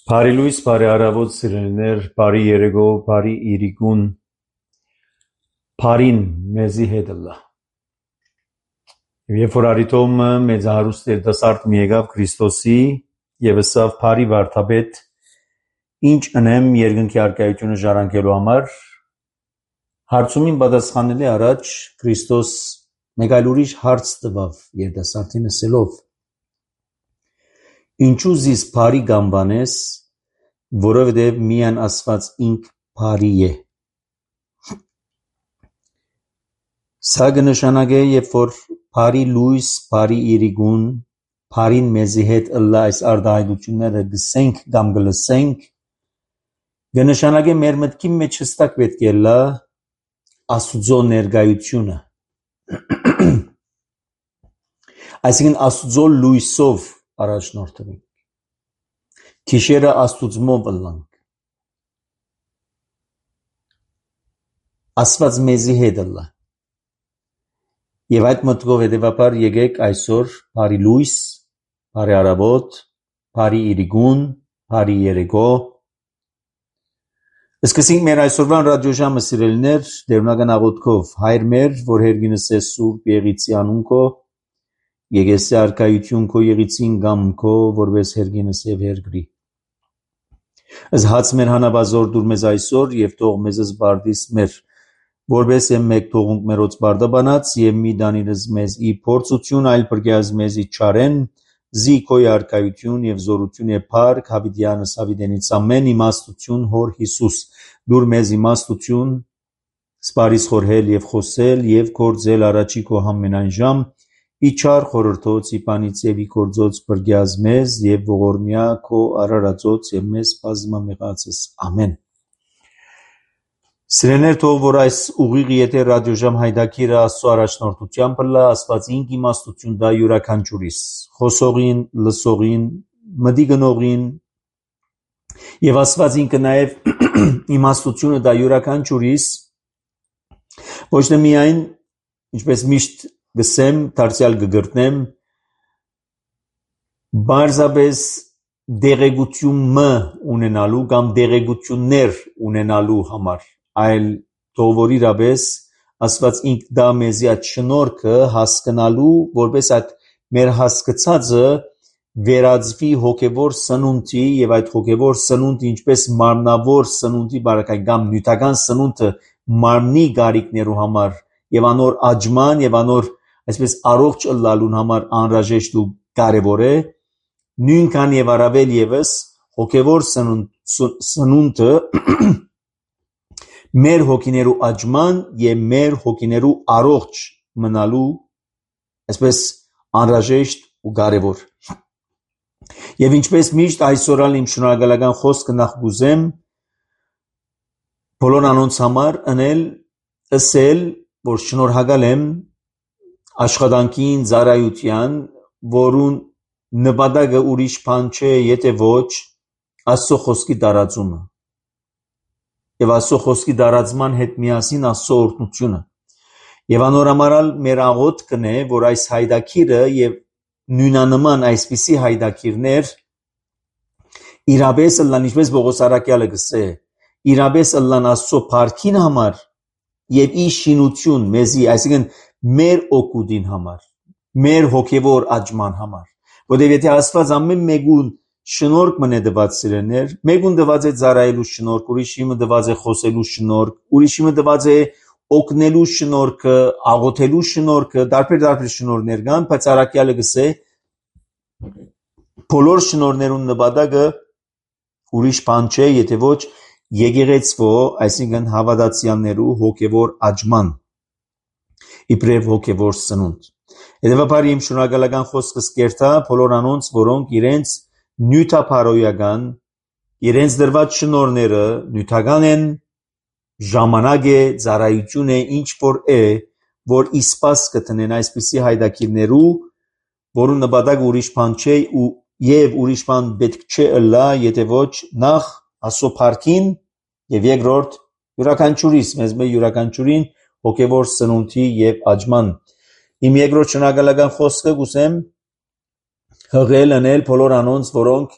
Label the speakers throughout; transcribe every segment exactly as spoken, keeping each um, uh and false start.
Speaker 1: Բարի լույս, բարի առավոտ սիրելիներ, բարի երեկո, բարի իրիկուն, բարին մեզի հետ ըլլա։ Երբ որ արիտոմը մեծահարուստ երիտասարդ մի եկավ Քրիստոսի եւ ըսավ բարի վարդապետ, ինչ ընեմ երկնքի առկայությունը ժառանգելու համար, հարցումին պատասխանելի առաջ Քրիստոս մեկ այլ ուրիշ հարց տվավ երիտասարդին ասելով. Ինչու զիս բարի գամբանես, որովհետև միան ասված ինք բարի է։ Սա կնշանակե, երբ որ բարի լույս, բարի իրիկուն, բարին մեզի հետ ըլլա այս արտահայտությունները գսենք կամ գլսենք, կնշանակե մեր մտքի մեջ հստակ պետք է լա Աստուծո ներկայությունը։ Այսինքն Աստուծո լույսով առաջնորդվենք, քիշերը Աստուծմով ըլլանք, Աստված մեզի հետ ըլլա, և այդ մտքով հետևաբար եկեք այսօր բարի լույս, բարի առավոտ, բարի իրիկուն, բարի երեկո, սկսենք մեր այսօրվան ռադիոժամը սիրելիներ դերունական աղոթքով, Հայր մեր, որ հերգինս է Սուրբ Եղիցի անուն քո, Եկեսի արքայություն քո եղիցին գամ քո, որպես հերգինս եւ հերգրի։ Ըս հաց մեր հանաբազոր դուր մեզ այսօր եւ թող մեզս բարդիս մեր, որպես եմ մեկ թողունք մերոց բարդաբանած եւ մի դանիրս մեզ ի փորձություն այլ բրգյազ մեզ ի չարեն, զի քո արքայություն եւ զորություն եւ փառք հավիտյանս հավիտենից ամեն իմաստություն հոր Հիսուս, դուր մեզ իմաստություն, սպարիս խորհել եւ խոսել եւ գործել առաջի քո ամենայն ժամ, Իչար խորհրդոց իպանից եւ իգործոց բրգյազ մեզ եւ ողորմյա քո արարածոց եւ մեզ բազմամեղացս ամեն։ Սիրելիներ, թող որ այս ուղիղ եթե ռադիոժամ հայդակիրը Աստծո առաջնորդությամբ լա, Աստված ինք իմաստություն դա յուրաքանչյուրիս, խոսողին, լսողին, մտի գնողին եւ Աստված ինքը նաեւ իմաստությունը դա յուրաքանչյուրիս ոչ թե միայն ինչպես միշտ գսեմ, դարձյալ գգրտնեմ, բարձաբես դեղեցություն ունենալու կամ դեղեցություններ ունենալու համար, այլ թող որ իրապես Աստված ինք դա մեզի այդ շնորհքը հասկանալու, որպես այդ մեր հասկացածը վերածվի հոգևոր սնունդի եւ այդ հոգևոր սնունդը ինչպես մարմնավոր սնունդի բարակայ կամ նյութական սնունդը մարմնի գարիքներու համար եւ անոր աճման եւ անոր այսպես առողջ ըլլալուն համար անհրաժեշտ ու կարևոր է, նույնքան եւ առավել եւս հոգևոր սնունդը մեր հոգիներու աճման եւ մեր հոգիներու առողջ մնալու այսպես անհրաժեշտ ու կարևոր։ Եվ ինչպես միշտ այսօրալ իմ շնորհակալական խոսքը նախ գուզեմ բոլոր անոնց համար ընել ըսել, որ շնորհակալ եմ աշխատանքին, ծառայության, որուն նպատակը ուրիշ բան չէ, եթե ոչ Աստծո խոսքի տարածումը եւ Աստծո խոսքի տարածման հետ միասին Աստծո օրհնությունը եւ անորամարալ մեր աղոթքն է, որ այս հայդակիրը եւ նույնանման այսպիսի հայդակիրներ իրապես ըլլան, ինչպես Պողոս առաքյալը գսե, իրապես ըլլան Աստծո փառքին համար եւ ի շինություն մեզի, այսինքն մեր օգուտին համար, մեր հոգեվոր աճման համար, որտեղ եթե Աստված ամեն մեկուն շնորհք մնե դված սիրելներ, մեկուն դված է ծառայելու շնորհք, ուրիշը դված է խոսելու շնորհք, ուրիշը դված է օգնելու շնորհքը, աղոթելու շնորհքը, տարբեր-տարբեր շնորհներ կան, բայց առաքյալը գսե բոլոր շնորհներուն նպատակը ուրիշ բան չէ, եթե ոչ եկեղեցվո, այսինքն հավատացյալներու հոգևոր աճման, իբրև հոգևոր սնունդ։ Հետևաբար իմ շնորհակալական խոսքս կերտա բոլոր անոնց, որոնք իրենց նյութապարոյական, իրենց դրված շնորհները նյութական են, ժամանակ է, ծառայություն է, ինչ որ է, որ իսպաս կտնեն այսպիսի հայդակիրներու, որու նպատակ ուրիշ բան չէ ու եւ ուրիշ բան պետք չէ ըլլա, եթե ոչ նախ Աստծո փառքին եւ երկրորդ յուրաքանչյուրիս, մեզ մեր յուրաքանչյուրին հոգևոր սնունդի եւ աճման։ Իմ երկրորդ շնորհակալական խոսքը կուսեմ հղել անել բոլոր անոնց, որոնք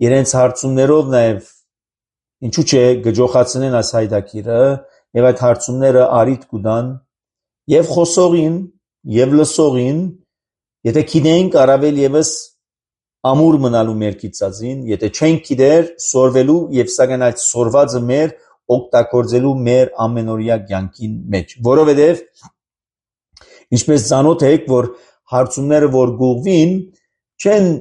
Speaker 1: իրենց հարցումներով նաեւ ինչու՞ չէ գջոխացնեն այս հայդակիրը եւ այդ հարցումները արիդ կուտան եւ խոսողին եւ լսողին, եթե գիտենք առավել եւս ամուր մնալու մեր կիցածին, եթե չենք գիտեր սորվելու եւ սակայն այդ սորվածը մեր օգտագործելու մեր ամենօրյա կյանքին մեջ, որովհետեւ ինչպես ցանոթ եք, որ հարցումները որ գուղվին չեն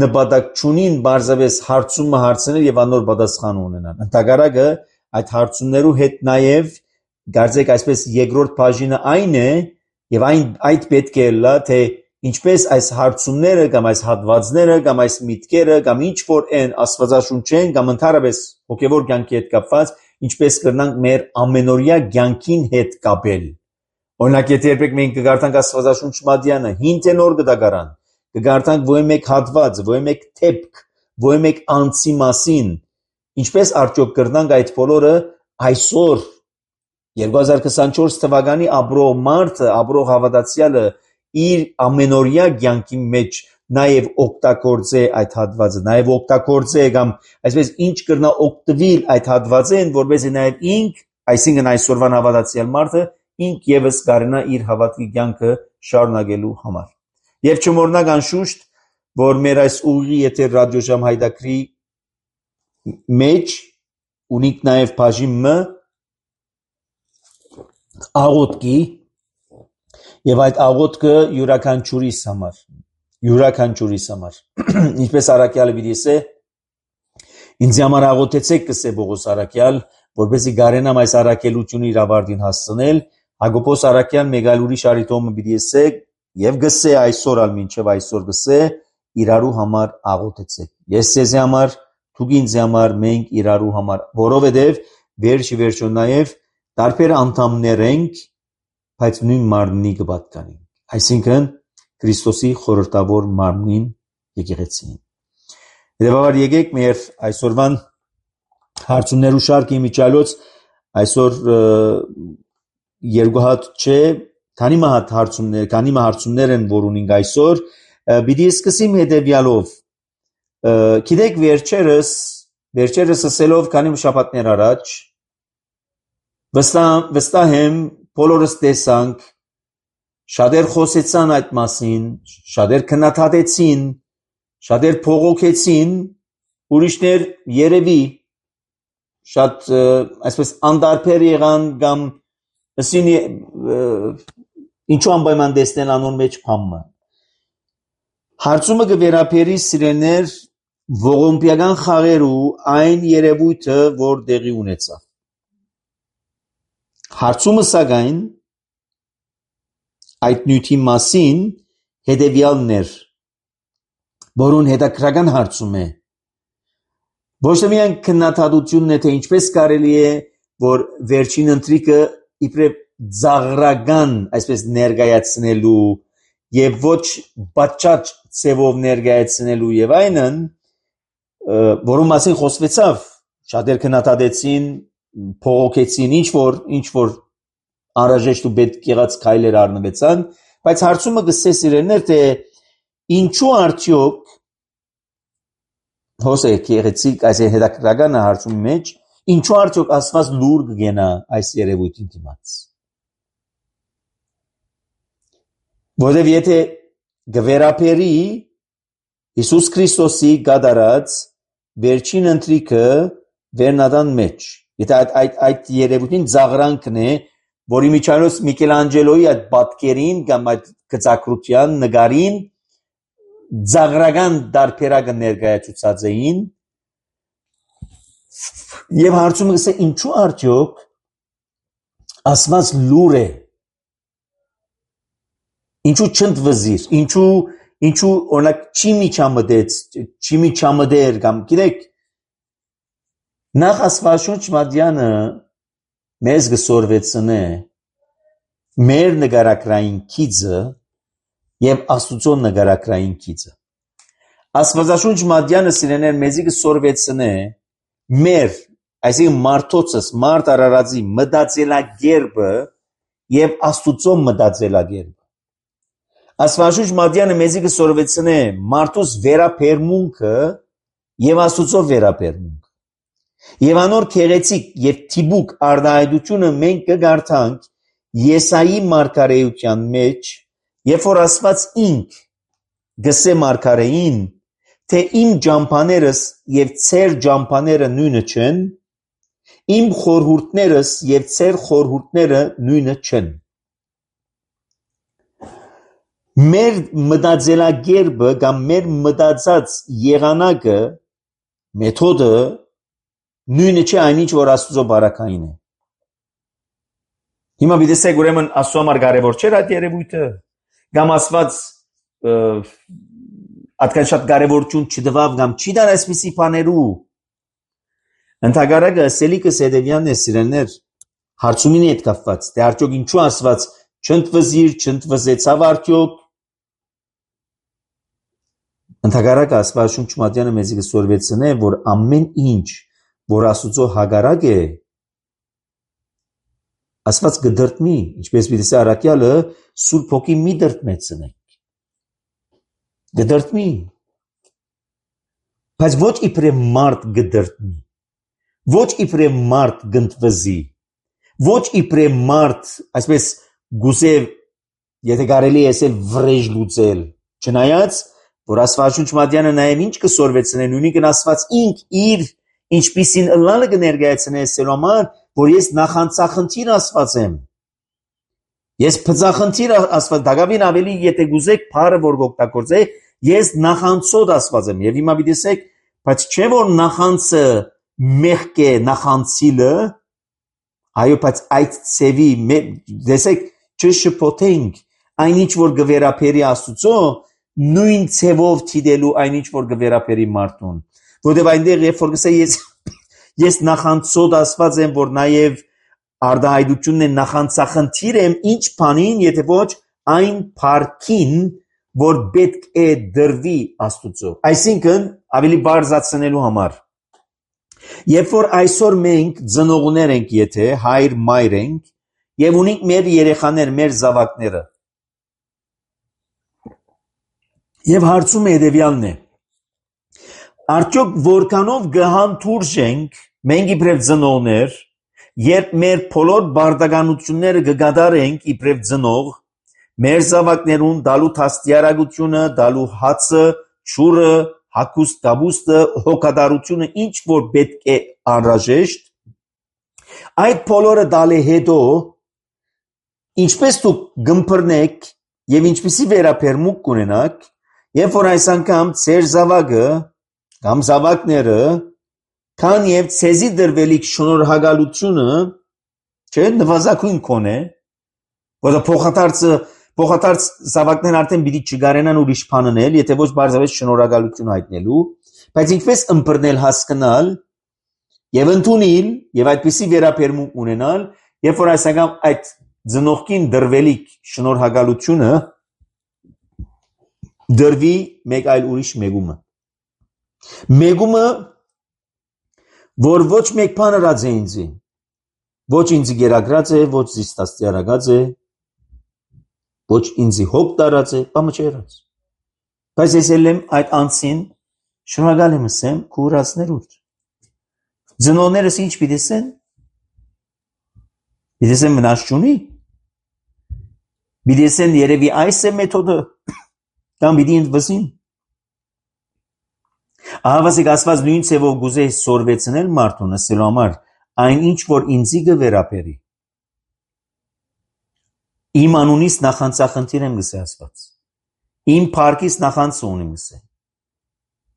Speaker 1: նպատակ չունին բարձավես հարցումը հարցնել եւ անոր պատասխան ունենան։ Ընդհակառակը այդ հարցումներու հետ նաեւ գարձեք այսպես երկրորդ բաժինը այն է եւ այն այդ պետք է լա թե ինչպես այս հարցումները կամ այս հատվածները կամ այս միտքերը կամ ինչ որ են աստվածաշունչեն կամ ընդհանրապես հոգեվոր կյանքի հետ կապված, ինչպես կրնանք մեր ամենօրյա կյանքին հետ կապել։ Օրինակ, եթե երբեք մենք կգարտանք աստվածաշունչ մատյանը, հին թե նոր գտակարան, կգարտանք ոյ մեկ հատված, ոյ մեկ թեփք, ոյ մեկ անձի մասին, ինչպես արդյոք կրնանք այդ բոլորը այսօր երկու հազար քսանչորս թվականի ապրող մարդը, ապրող հավատացյալը իր ամենօրյա կյանքի մեջ նաև օգտագործե այդ հատվածը, նաև օգտագործե կամ այսպես ինչ կրնա օգտվել այդ հատվածեն, որպեսզի նաև ինք, այսինքն այսօրվան հավատացյալ մարդը, ինք եւս կարողանա իր հավատքի կյանքը շարունակելու համար։ Եվ չմոռնանք անշուշտ, որ մեր այս ուղի եթե ռադիոժամ հայդակրի մեջ ունիք նաև բաժին M աղոթքի եւ այդ աղոթքը յուրաքանչյուրիս համար, յուրաքանչյուրիս համար։ Ինչպես առաքյալը պիտի ասե, ինձ համար աղոթեցեք կսե Պողոս առաքյալ, որպեսզի գարենամ այս առաքելությունը իր ավարտին հասցնել, Հակոբոս առաքյալ մեկ այլ ուրիշ արիտոմը պիտի ասե եւ գսե այսօր ալ մինչեւ այսօր գսե իրարու համար աղոթեցեք։ Ես ձեզ համար, դուք ինձ համար, մենք իրարու համար, որովհետեւ վերջի վերջո նաեւ տարբեր անդամներ ենք, բայց նույն մարմնի կպատկանենք, այսինքն Քրիստոսի խորհրդավոր մարմնին եկեղեցին։ Հետևաբար եկեք մեր այսօրվան հարցումներու շարքի միջալոց այսօր երկու հատ չէ, քանի մահատ հարցումներ, քանի մահ հարցումներ են որ ունենք այսօր, պիտի սկսեմ հետևյալով։ Գիտեք վերջերս, վերջերս ասելով քանի շաբաթներ առաջ վստահ վստահ եմ բոլորս տեսանք, շատեր խոսեցան այդ մասին, շատեր քննադատեցին, շատեր փողոքեցին, ուրիշներ երևի շատ այսպես անդարբեր եղան կամ ասին ինչու անպայման տեսնել անոն մեջ փամը։ Հարցումը կվերապերի սիրելներ ողոմպիական խաղերու այն երևույթը, որ տեղի ունեցավ։ Հարցումը սակայն այդ նյութի մասին հետևյալն էր, որուն հետաքրական հարցում է։ Ոչ թե միայն քննադատությունն է, թե ինչպես կարելի է, որ վերջին ընթրիկը իբրև ծաղրական, այսպես ներկայացնելու եւ ոչ բաճաճ ցևով ներկայացնելու եւ այնն որում մասին խոսվեցավ, շատեր քննադատեցին, փողոքեցին, ինչ որ, ինչ որ անհրաժեշտ ու պետք եղած քայլեր առնվեցան, բայց հարցումը գսե սիրելիներ, թե ինչու արդյոք հոսե քեղեցիկ այս հետաքրքրական հարցումի մեջ, ինչու արդյոք Աստված լուր կգենա այս երևույթին դիմաց։ Որովհետև եթե գվերապերի Հիսուս Քրիստոսի գադարած վերջին ընթրիքը վերնադան մեջ, եթե այդ, այդ, այդ երևույթին ծաղրանքն է, որի միջանոց Միքելանջելոյի այդ պատկերին կամ այդ գծակրության նկարին ծաղրական դարբերակը ներկայացուցած էին, եւ հարցումը գսե ինչու արդյոք Աստված լուր է, ինչու չընդվզիր, ինչու ինչու օրինակ չի միջամտեց, չի միջամտեր կամ գիտեք նախ Աստվածաշունչ մատյանը մեզ գսորվեցնե մեր նկարակրային քիծը եւ Աստուծո նկարակրային քիծը։ Աստվածաշունչ մատյանը սիրեներ մեզի գսորվեցնե մեր, այսինքն մարդոցս, մարդ արարածի մտածելակերպը եւ Աստուծո մտածելակերպը։ Աստվածաշունչ մատյանը մեզի գսորվեցնե մարդուս վերապերմունքը եւ Աստուծո վերապերմունքը։ Եվ անոր քեղեցիկ եւ թիբուկ արտահայտությունը մենք կգարտանք Եսայի մարգարեության մեջ, երբ որ Աստված ինք գսե մարգարեին, թե իմ ջամփաներս եւ ցեր ջամփաները նույնը չեն, իմ խորհուրդներս եւ ցեր խորհուրդները նույնը չեն։ Մեր մտածելակերպը կամ մեր մտածած եղանակը, մեթոդը նույնը չէ այնինչ որ Աստծո բարակային է։ Հիմա դիտեք ուրեմն Աստծո համար կարևոր չէ այդ երևույթը, կամ Աստված այդքան շատ կարևորություն չտվավ կամ չի դար այսպիսի բաներու։ Ընդհակառակը սելիկս հետևյալն է սիրելիներ, հարցումին հետ կապված, թե արդյոք ինչու Աստված չընդվզիր, չընդվզեցավ արդյոք։ Ընդհակառակը Աստվածաշունչ մատյանը մեզի կսորվեցնե, որ ամեն ինչ, որ Աստուծո հագարակ է, Աստված կդրտնի, ինչպես պիտի սա առաքյալը Սուրբ Հոգի մի դրտնեցնենք։ Կդրտնի։ Բայց ոչ իբրև մարդ կդրտնի։ Ոչ իբրև մարդ կընդվզի։ Ոչ իբրև մարդ, այսպես գուսև, եթե կարելի է ասել վրեժ լուծել, չնայած, որ Աստվածաշունչ մատյանը նաև ինչ կսորվեցնե, նույնիսկ Աստված ինք իր ինչպիսին ըլլալը կներկայացնե ասելու համար, որ ես նախանցախնդիր Աստված եմ։ Ես փծախնդիր Աստված, դակավին ավելի եթե գուզեք բառը որ կօգտագործե, ես նախանցոտ Աստված եմ։ Եվ հիմա դիտեք, բայց չէ որ նախանցը մեղք է նախանցիլը, այո, բայց այդ ծևի դեսեք չշփոթենք, այնինչ որ գվերապերի Աստուծո, նույն ծևով թիդելու այնինչ որ գվերապերի մարդուն։ Որտեւ այնտեղ երբ որ գսե ես ես նախանցոտ Աստված եմ, որ նաև արտահայտությունն է նախանցախնդիր եմ, ինչ բանին, եթե ոչ այն փառքին, որ պետք է դրվի Աստուծո։ Այսինքն ավելի բարձրացնելու համար։ Երբ որ այսօր մենք ծնողներ ենք, եթե հայր մայր ենք, եւ ունենք մեր երեխաներ, մեր զավակները։ Եվ հարցում հետևյալն է. արդյոք որքանով գհանդուրժենք մենք իբրև ծնողներ, երբ մեր բոլոր բարդականությունները կգադարենք իբրև ծնող, մեր զավակներուն դալու թաստիարակությունը, դալու հացը, ճուրը, հագուստ կաբուստը, հոգատարությունը, ինչ որ պետք է անհրաժեշտ, այդ բոլորը դալի հետո ինչպես դուք գմփռնեք եւ ինչպիսի վերապերմունք կունենաք, երբ որ այս անգամ ձեր զավակը կամ զավակները քան եւ ցեզի դրվելիք շնորհակալությունը չէ նվազագույն կոնե, որ փոխադարձը փոխադարձ զավակներն արդեն պիտի չգարենան ուրիշ բան անել, եթե ոչ բարձրապես շնորհակալություն հայտնելու, բայց ինչպես ըմբռնել հասկանալ եւ ընդունել եւ այդպիսի վերապերմունք ունենալ, երբ որ այս անգամ այդ ծնողքին դրվելիք շնորհակալությունը դրվի մեկ այլ ուրիշ մեգումը։ Մեգումը որ ոչ մեկ բան արած է ինձի, ոչ ինձի գերագրած է, ոչ զիստաստի արագած է, ոչ ինձի հոգ տարած է, բամը չի արած։ Բայց ես էլ եմ այդ անցին շնորհակալ եմ ասեմ քուրացներուտ։ Ձնոներս ինչ պիտեսեն։ Պիտեսեն մնաց չունի։ Պիտեսեն երևի այս է մեթոդը կամ պիտի ընդվզին։ Ահավասիկ ասված նույն ցևով գուզե սորվեցնել մարդուն ասելու համար այն ինչ որ ինձի գվերապերի։ Իմ անունից նախանցախնդիր եմ գսե ասված։ Իմ փառքից նախանցը ունեմ գսե։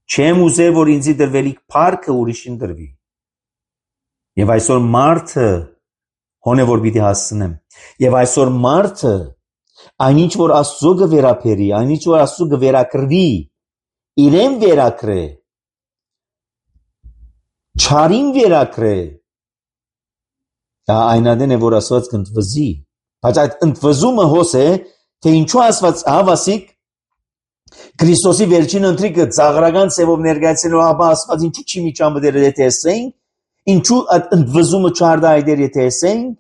Speaker 1: Չեմ ուզե որ ինձի դրվելիք փառքը ուրիշին դրվի։ Եվ այսօր մարդը հոնե որ պիտի հասցնեմ։ Եվ այսօր մարդը այնինչ որ Աստծո գվերապերի, այնինչ որ Աստծո գվերակրվի, իրեն վերակրե, չարին վերակրե, դա այնադեն է որ ասված կընդվզի, բայց այդ ընդվզումը հոս է, թե ինչու ասված հավասիկ Քրիստոսի վերջին ընթրիկը ծաղրական ծևով ներկայացնելու ապա ասված ինչու չի միջամտել եթե ասենք, ինչու այդ ընդվզումը չարդա այդեր եթե ասենք,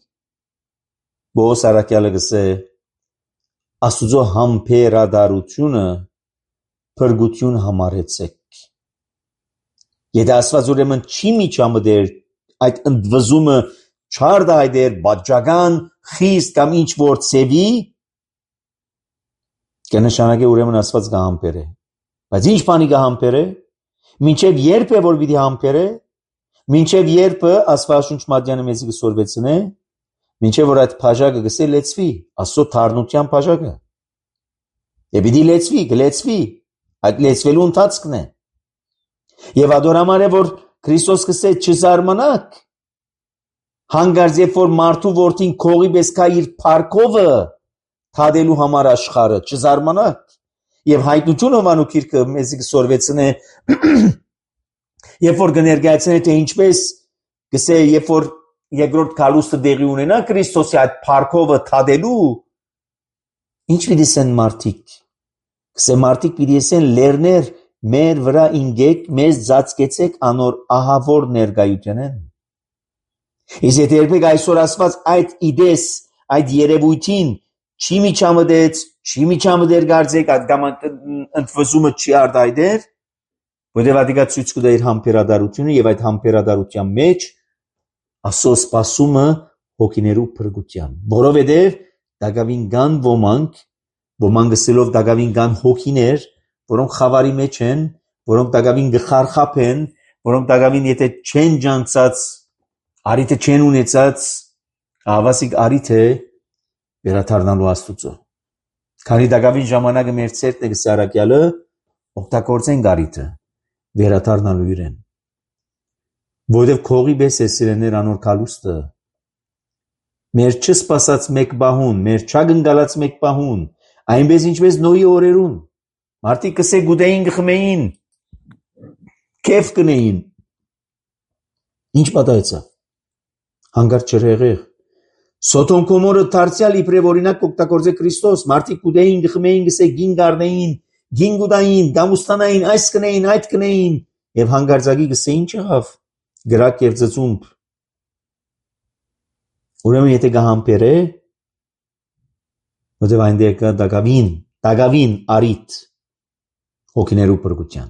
Speaker 1: Բոս Արաքյալը գսե Աստուծո համբերադարությունը փրկություն համարեցեք։ Եթե ասված ուրեմն չի միջամտել այդ ընդվզումը չարդա այդեր բաժական խիստ կամ ինչ որ ծևի, կնշանակե ուրեմն ասված կհամբերե։ Բայց ինչ բանի կհամբերե, մինչև երբ է որ պիտի համբերե, մինչև երբ Աստվածաշունչ Մատյանը մեզի կսորվեցնե, մինչև որ այդ բաժակը գսե լեցվի, Աստծո թարնության բաժակը։ Եվ պիտի լեցվի, կլեցվի, այդ լեցվելու ընթացքն է։ Եվ ադորամար է որ Քրիստոս գսե չզարմանաք, հանգարց երբ որ մարդու որդին քողի պես կա իր փառքովը թադելու համար աշխարհը, չզարմանաք։ Եվ հայտնություն Հովանու գիրքը մեզի կսորվեցնե, երբ որ կներկայացնե թե ինչպես գսե երբ որ երկրորդ քալուստը դեղի ունենա Քրիստոսի այդ փառքովը թադելու, ինչ պիտի սեն մարդիկ։ Գսե մարդիկ պիտի սեն լերներ մեր վրա ինգեք, մեզ ծածկեցեք անոր ահավոր ներկայությունեն։ Իսկ եթե երբեք այսօր ասված այդ իդես, այդ երևույթին չի միջամտեց, չի միջամտեր գարձեք, այդ կամ ընդվզումը չի արդայդեր, որտեղ ադիկա ցույց կտա իր համբերադարությունը եւ այդ համբերադարության մեջ Աստծո սպասումը հոգիներու փրկության։ Որովհետեւ դակավին կան ոմանք, ոմանք գսելով դակավին կան հոգիներ, որոնք խավարի մեջ են, որոնք դակավին գխարխափեն, որոնք դակավին եթե չեն ջանցած, արիթը չեն ունեցած, ավասիկ արիթ է վերաթարնալու Աստուծո։ Քանի դակավին ժամանակը մեր ցերտն է գսե Արաքյալը, օգտագործեն արիթը վերաթարնալու իրեն։ Որովհետև քողի պես է սիրեներ անոր կալուստը, մեր չսպասած մեկ բահուն, մեր չագնգալած մեկ բահուն, այնպես ինչպես Նոյի օրերուն, մարդիկ կսե գուտեին գխմեին, կեվ կնեին, ինչ պատահեցավ, հանգարց չրեղեղ, Սոթոմ Գոմորը դարձյալ իբրև օրինակ կօգտագործե Քրիստոս, մարդիկ գուտեին գխմեին, գսե գին գարնեին, գին գուտային, գամուստանային, այս կնեին, այդ կնեին, եւ հանգարձակի գսե ինչ եղավ, գրակ եւ ծծումբ։ Ուրեմն եթե գահամբերե, որտեղ այնտեղ կա դակավին, դակավին արիթ հոգիներու փրկության։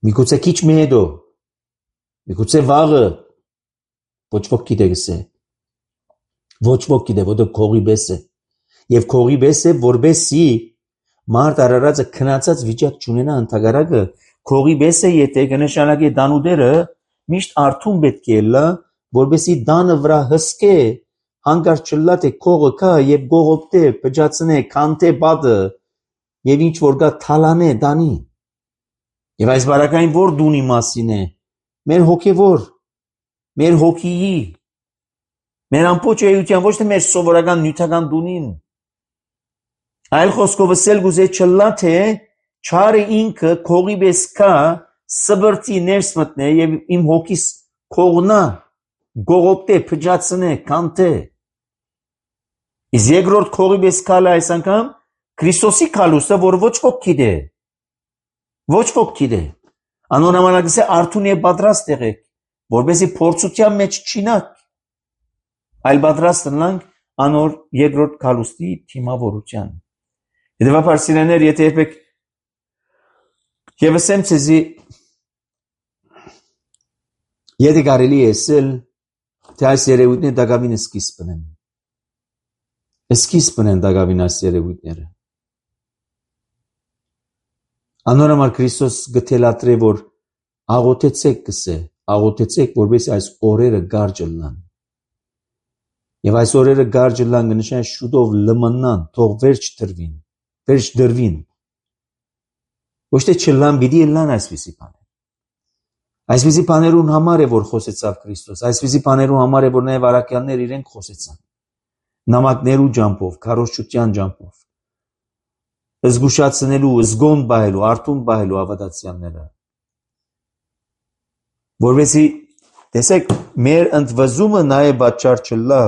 Speaker 1: Միգուցե քիչ մեդո, միգուցե վաղը, ոչ ոք գիտե գսե, ոչ ոք գիտե, որտեղ քողի պես է, եւ քողի պես է, որբեսի մարդ արարածը քնացած վիճակ չունենա ընդհանրակը, քողի պես է, եթե կնշանակի դանուդերը միշտ արթուն պետք է լա, որբեսի դանը վրա հսկե, հանգարց չլա թե քողը կա եւ գողոպտե, փճացնե, կանտե բադը եւ ինչ որ կա թալանե դանի։ Եվ այս բարակային որ դունի մասին է, մեր հոգևոր, մեր հոգիի, մեր ամբողջ էության, ոչ թե մեր սովորական նյութական դունին։ Այլ խոսքով ասել գուզե չլա թե չարը ինքը քողի պես կա, սբրտի ներս մտնե եւ իմ հոգիս քողնա, գողոպտե, փճացնե, կանտե։ Իսկ երկրորդ քողի պես կալը այս անգամ Քրիստոսի քալուստը, որ ոչ ոք գիտե։ Ոչ ոք գիտե։ Անոր նամանակս է արթուն եւ պատրաստ եղեք, որովհետեւ փորձության մեջ չինակ, այլ պատրաստ լինանք անոր երկրորդ գալուստի թիմավորության։ Հետևաբար սիրելիներ, եթե երբեք Եվ ասեմ ցեզի, եթե կարելի է ասել, թե այս երևույթները դակավին սկիզբն են։ Սկիզբն են դակավին այս երևույթները։ Անոր համար Քրիստոս գտելատրե, որ աղոթեցեք կսե, աղոթեցեք, որպես այս օրերը գարճ լինան։ Եվ այս օրերը գարճ լինան կնշան շուտով լմնան, թող վերջ դրվին, վերջ դրվին։ Ոչ թե չլան, պիտի լան այսպիսի բաներ։ Այսպիսի բաներուն համար է, որ խոսեցավ Քրիստոս, այսպիսի բաներուն համար է, որ նաև առաքյալներ իրենք խոսեցան։ Նամակներու ջամփով, քարոզչության ջամփով, զգուշացնելու, զգոն բահելու, արթուն բահելու ավատացյանները։ Որովհետեւ տեսեք, մեր ընդվզումը նաև պատճառ չլա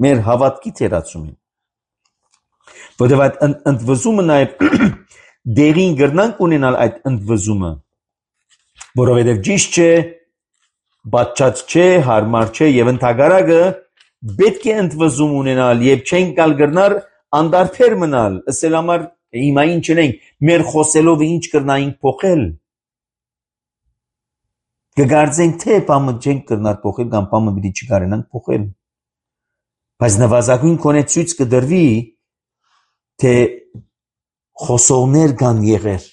Speaker 1: մեր հավատքի թերացումին։ Որովհետեւ այդ ընդվզումը նաև դերին գրնանք ունենալ այդ ընդվզումը, որովհետև ճիշտ չէ, բացած չէ, հարմար չէ եւ ընդհակառակը պետք է ընդվզում ունենալ եւ չեն կալ գրնար անդարբեր մնալ, ասել համար հիմա ինչ չենք, մեր խոսելով ինչ կրնայինք փոխել։ Կգարձենք թե բամը չենք կրնար փոխել կամ բամը պիտի չկարենանք փոխել։ Բայց նվազագույն կոնե ցույց կդրվի, թե խոսողներ կան եղեր,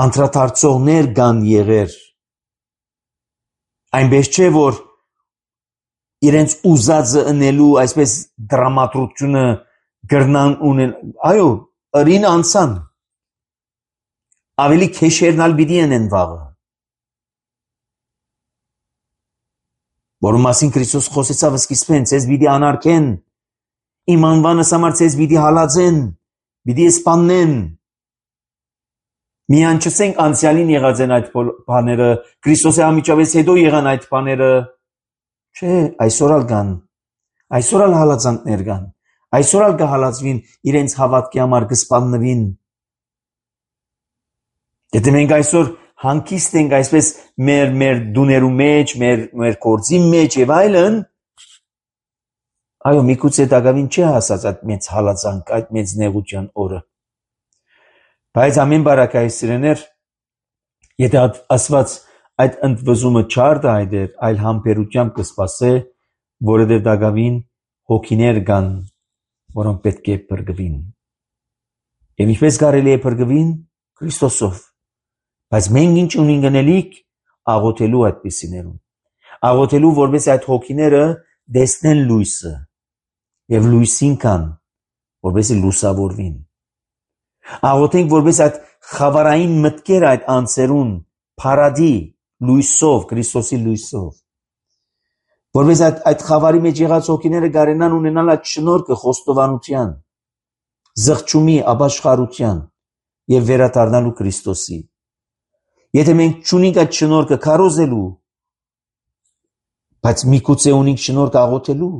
Speaker 1: անդրադարձողներ կան եղեր, այնպես չէ, որ իրենց ուզածը ընելու այսպես դրամատրությունը գրնան ունեն, այո, ըրին անցան, ավելի քեշերնալ պիտի են վաղը, որում մասին Քրիստոս խոսեցավ սկիզբեն, ցեզ պիտի անարգեն, իմ անվանս համար ցեզ պիտի հալածեն, պիտի սպաննեն։ Միան չսենք անցյալին եղած են այդ բաները, Քրիստոսի անմիջապես հետո եղան այդ բաները, չէ, այսօր ալ կան, այսօր ալ հալածանքներ կան, այսօր ալ կհալածվին իրենց հավատքի համար կսպաննվին։ Եթե մենք այսօր հանգիստ ենք այսպես մեր մեր դուներու մեջ, մեր մեր գործի մեջ եւ այլն, այո, միգուցե դակավին չի հասած այդ մեծ հալածանք, այդ մեծ նեղության օրը։ Բայց ամեն բարակայ սիրեներ, եթե ասված այդ ընդվզումը չարդ այդեր, այլ համբերությամբ կսպասե, որովհետև դակավին հոգիներ կան, որոնք պետք է փրկվին։ Եվ ինչպես կարելի է փրկվին Քրիստոսով։ Բայց մենք ինչ ունենք գնելիք աղոթելու այդպիսիներուն։ Աղոթելու, որպես այդ հոգիները դեսնեն լույսը եւ լույսին կան, որպես լուսավորվին։ Աղոթենք, որպես այդ խավարային մտքեր այդ անձերուն փարադի լույսով, Քրիստոսի լույսով։ Որպես այդ այդ խավարի մեջ եղած հոգիները կարենան ունենալ այդ շնորհքը խոստովանության, զղջումի, ապաշխարության եւ վերադառնալու Քրիստոսի։ Եթե մենք չունենք այդ շնորհքը քարոզելու, բայց միգուցե ունենք շնորհք աղոթելու,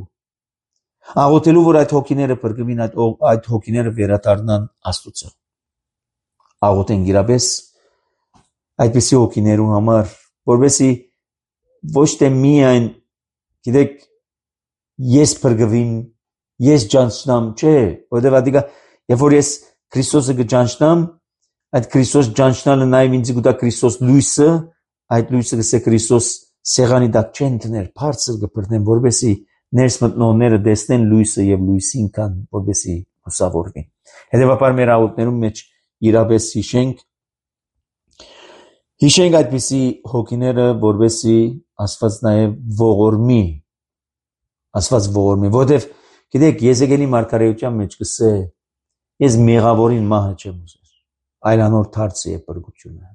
Speaker 1: աղոթելու, որ այդ հոգիները փրկվին, այդ այդ հոգիները վերադառնան Աստծո։ Աղոթենք իրապես այդպիսի հոգիներու համար, որովհետեւ ոչ թե միայն, գիտեք, ես փրկվím, ես ճանչնամ, չէ, որովհետեւ ադիգա, երբ որ ես Քրիստոսը կճանչնամ, այդ Քրիստոս ճանչնալը նաև ինձ գուտա Քրիստոս լույսը, այդ լույսը կսե Քրիստոս սեղանի տակ չեն դնել, բարձր կբռնեն, որովհետեւ ներս մտնողները տեսնեն լույսը եւ լույսին կան, որովհետեւ լուսավորվին։ Հետևաբար մեր աղոթներում մեջ իրապես հիշենք, հիշենք այդպիսի հոգիները, որովհետեւ Աստված նաև ողորմի, Աստված ողորմի, որովհետեւ գիտեք, Եզեկիելի մարգարեության մեջ կսե, ես մեղավորին մահը չեմ ուզել, այլ անոր դարձը է փրկությունը։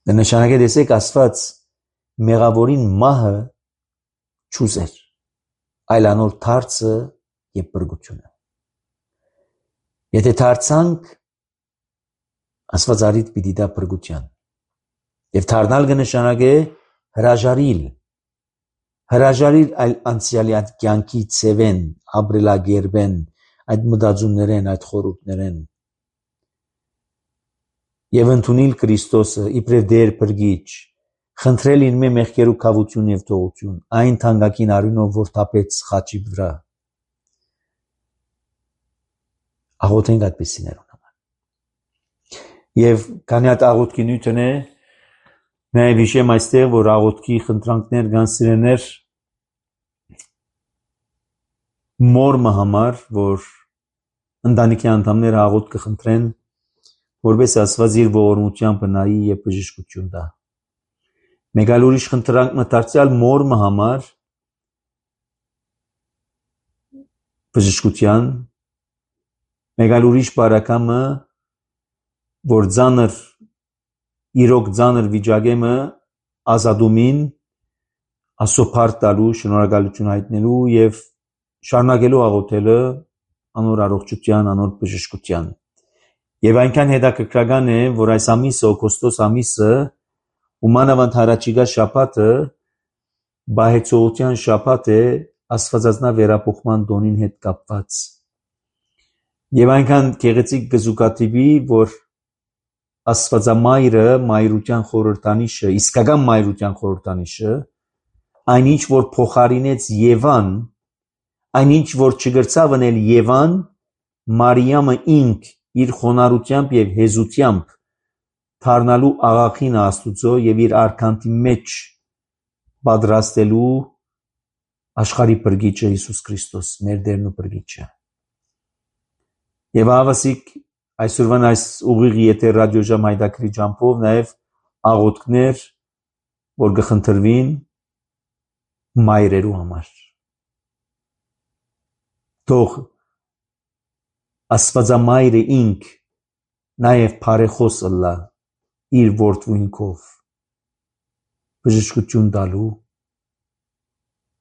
Speaker 1: Դա նշանակե տեսեք Աստված մեղավորին մահը չուզեր, այլ անոր դարձը եւ փրկությունը։ Եթե դարձանք, Աստված արիդ պիտի դա փրկության։ Եվ դառնալ կնշանակե հրաժարիլ, հրաժարիլ այլ անցյալի այդ կյանքի ցևեն, ապրելագերբեն, այդ մտածումներեն, այդ խորհուրդներեն։ եւ ընդունել Քրիստոսը իբրև դեր բրգիչ, խնդրել իր մեղքերու կավություն եւ թողություն, այն թանկագին արյունով, որ թափեց խաչի վրա։ Աղոթենք այդպիսիներուն համար։ Եվ քանի հատ աղոթքի նյութն է, նաեւ հիշեմ այստեղ, որ աղոթքի խնդրանքներ կան սիրեներ մորմը համար, որ ընտանիքի անդամները աղոթք կխնդրեն, որպես Աստված իր ողորմությամբ նայի եւ բժշկություն տա։ Մեկ այլ ուրիշ խնդրանք դարձյալ մորմը համար բժշկության, մեկ այլ ուրիշ բարակամը, որ ծանր իրոք ծանր վիճակեմը ազատումին ասոփար տալու, շնորհակալություն հայտնելու եւ շարունակելու աղոթելը անոր առողջության, անոր բժշկության։ Եվ այնքան հետաքրքրական է, որ այս ամիսը, օգոստոս ամիսը, ումանավանդ հարաճիգա շաբաթը բահեցողության շաբաթ է աստվածածնա վերապոխման տոնին հետ կապված։ Եվ այնքան գեղեցիկ գզուկատիպի, որ աստվածամայրը մայրության խորհրդանիշը, իսկական մայրության խորհրդանիշը, այնինչ որ փոխարինեց Եվան, այնինչ որ չգրցավ անել Եվան, Մարիամը ինք իր խոնարհությամբ եւ հեզությամբ դառնալու աղախին Աստուծո եւ իր արքանտի մեջ պատրաստելու աշխարհի բրգիչը Հիսուս Քրիստոս, մեր Տերն ու բրգիչը։ Եվ ավասիկ այսօրվան այս ուղիղ եթեր ռադիոժամ հայտակրի ջամփով նաեւ աղոթքներ, որ կխնդրվին մայրերու համար։ Թող Աստվածամայրը ինք նաև բարեխոս ըլլա իր որդուինքով բժշկություն տալու,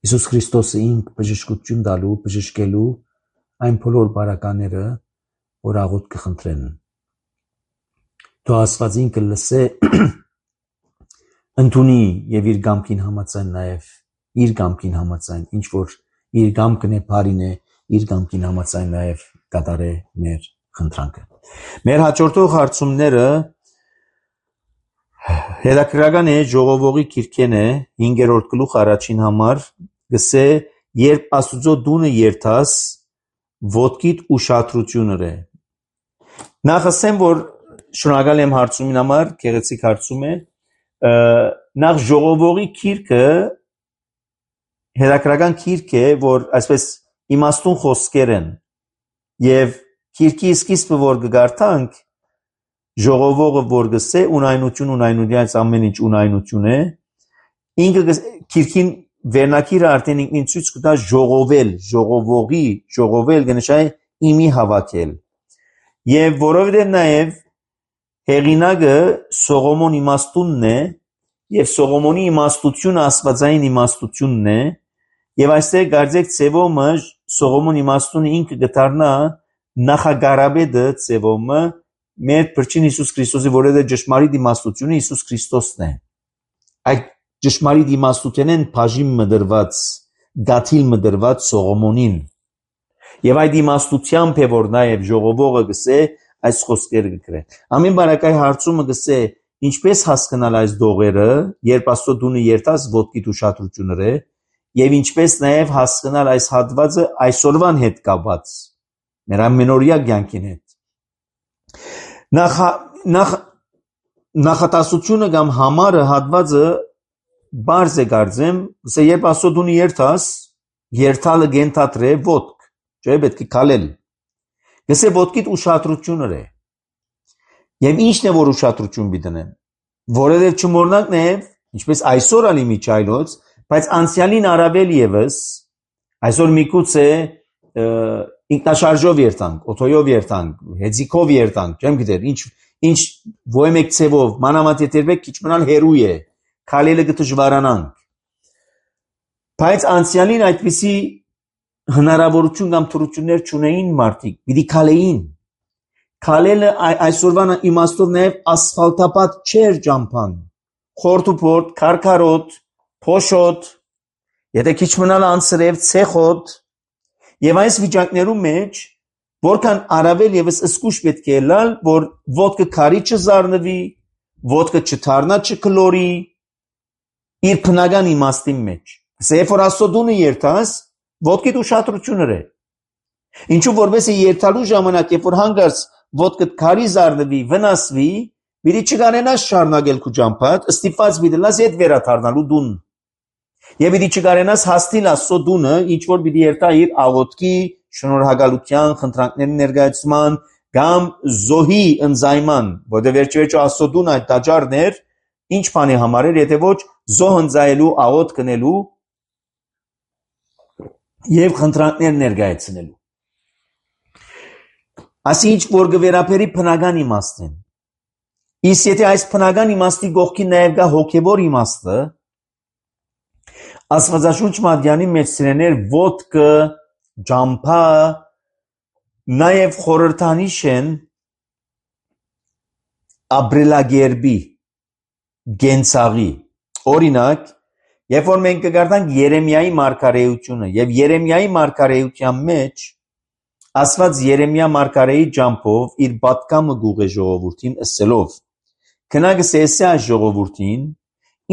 Speaker 1: Հիսուս Քրիստոսը ինք բժշկություն տալու, բժշկելու այն բոլոր բարակաները, որ աղոթք կխնդրեն։ Թող Աստված ինքը լսե, ընդունի եւ իր կամքին համաձայն նաև իր կամքին համաձայն, ինչ որ իր կամքն է, բարին է, իր կամքին համաձայն նաև կատարե մեր խնդրանքը։ Մեր հաջորդող հարցումները հետաքրքրական է ժողովողի քիրքեն է հինգերորդ գլուխ առաջին համար, գսե երբ Աստուծո դունը երթաս, ոտքիդ ուշադրությունն է։ Նախ ասեմ, որ շնորհակալ եմ հարցումին համար, գեղեցիկ հարցում է։ Նախ ժողովողի քիրքը հետաքրքրական քիրք է, որ այսպես իմաստուն խոսքեր են եւ քիրքի սկիզբը որ կգարտանք ժողովողը որ գսե ունայնություն ունայնությանից ամեն ինչ ունայնություն է ինքը քիրքին վերնակիրը արդեն ինքնին ցույց կտա ժողովել ժողովողի ժողովել կնշանակի իմի հավաքել եւ որովհետեւ նաեւ հեղինակը Սողոմոն իմաստունն է եւ Սողոմոնի իմաստությունը աստվածային իմաստությունն է եւ այստեղ գարձեք ծևոմը Սողոմոն իմաստունը ինքը գտարնա նախագարաբեդը ծևոմը մեր փրկին Հիսուս Քրիստոսի որևէ ճշմարիտ իմաստությունը Հիսուս Քրիստոսն է այդ ճշմարիտ իմաստությունն բաժին մդրված գաթիլ մդրված Սողոմոնին եւ այդ իմաստությամբ է որ նաեւ ժողովողը գսե այս խոսքերը գրե ամեն բարակայ հարցումը գսե ինչպես հասկանալ այս դողերը երբ Աստծո դունը երթաս ոտքիդ ուշադրությունները եւ ինչպես նաեւ հասկանալ այս հատվածը այսօրվան հետ կապված մեր ամենօրյա կյանքին հետ նախ նախ նախատասությունը կամ համարը հատվածը բարձ է գարձեմ ասե երբ Աստծո դունը երթաս երթալը գենթատրե ոտք չէ պետք է քալել գսե ոտքիդ ուշադրությունները եւ ինչն է որ ուշադրություն բիտնեմ որովհետեւ չմոռնանք նաեւ ինչպես այսօր ալի միջայլոց բայց անցյալին արաբել եւս այսօր միգուցե ինքնաշարժով երթանք օթոյով երթանք հեծիկով երթանք չեմ գիտեր ինչ ինչ ոյմեկ ցևով մանավանդ երբեք քիչ մնալ հերույ է քալելը գտժվարանանք բայց անցյալին այդպիսի հնարավորություն կամ թրություններ չունեին մարդիկ պիտի քալեին քալելը այսօրվան իմաստով նաև ասֆալտապատ չէր ճամփան խորտուփորտ քարքարոտ փոշոտ եթե քիչ մնալ անսրև ցեխոտ եւ այս վիճակներում մեջ որքան առավել եւս սկուշ պետք է լալ, որ ոտքը քարի չզառնվի, ոտքը չթարնա չկլորի իր բնական իմաստի մեջ։ Սեփ որ աստոդունը երթաս, ոտքիդ ուշադրություն ռե։ Ինչու որովհետեւ երթալու ժամանակ, երբ որ հանգարց ոտքը քարի զառնվի, վնասվի, մի չգանենաս շարունակել քու ճամփատ, ստիպված դիլաս հետ վերաթարնալու դուն։ Եվ մի չգանենաս հաստիլ աստոդունը, ինչ որ պիտի երթա իր աղոթքի, շնորհակալության, խնդրանքների ներկայացման կամ զոհի ընձայման, որտեղ վերջիվերջո աստոդուն այդ տաճարներ ինչ բանի համար էր, եթե ոչ զոհ ընձայելու, աղոթք կնելու եւ խնդրանքներ ներկայացնելու։ Ասի ինչ որ գվերապերի բնական իմաստն։ Իսկ եթե այս բնական իմաստի գողքի նաեւ գա հոգեվոր իմաստը, Աստվածաշունչ մատյանի մեջ սիրեներ ոտքը, ջամփա, նաեւ խորհրդանիշ են ապրելագերբի, գենցաղի։ Օրինակ, երբ որ մենք կգարտանք Երեմիայի մարգարեությունը եւ Երեմիայի մարգարեության մեջ Աստված Երեմիա մարգարեի ջամփով իր պատկամը գուղե ժողովրդին ասելով. «Քնագս էսե այս ժողովրդին,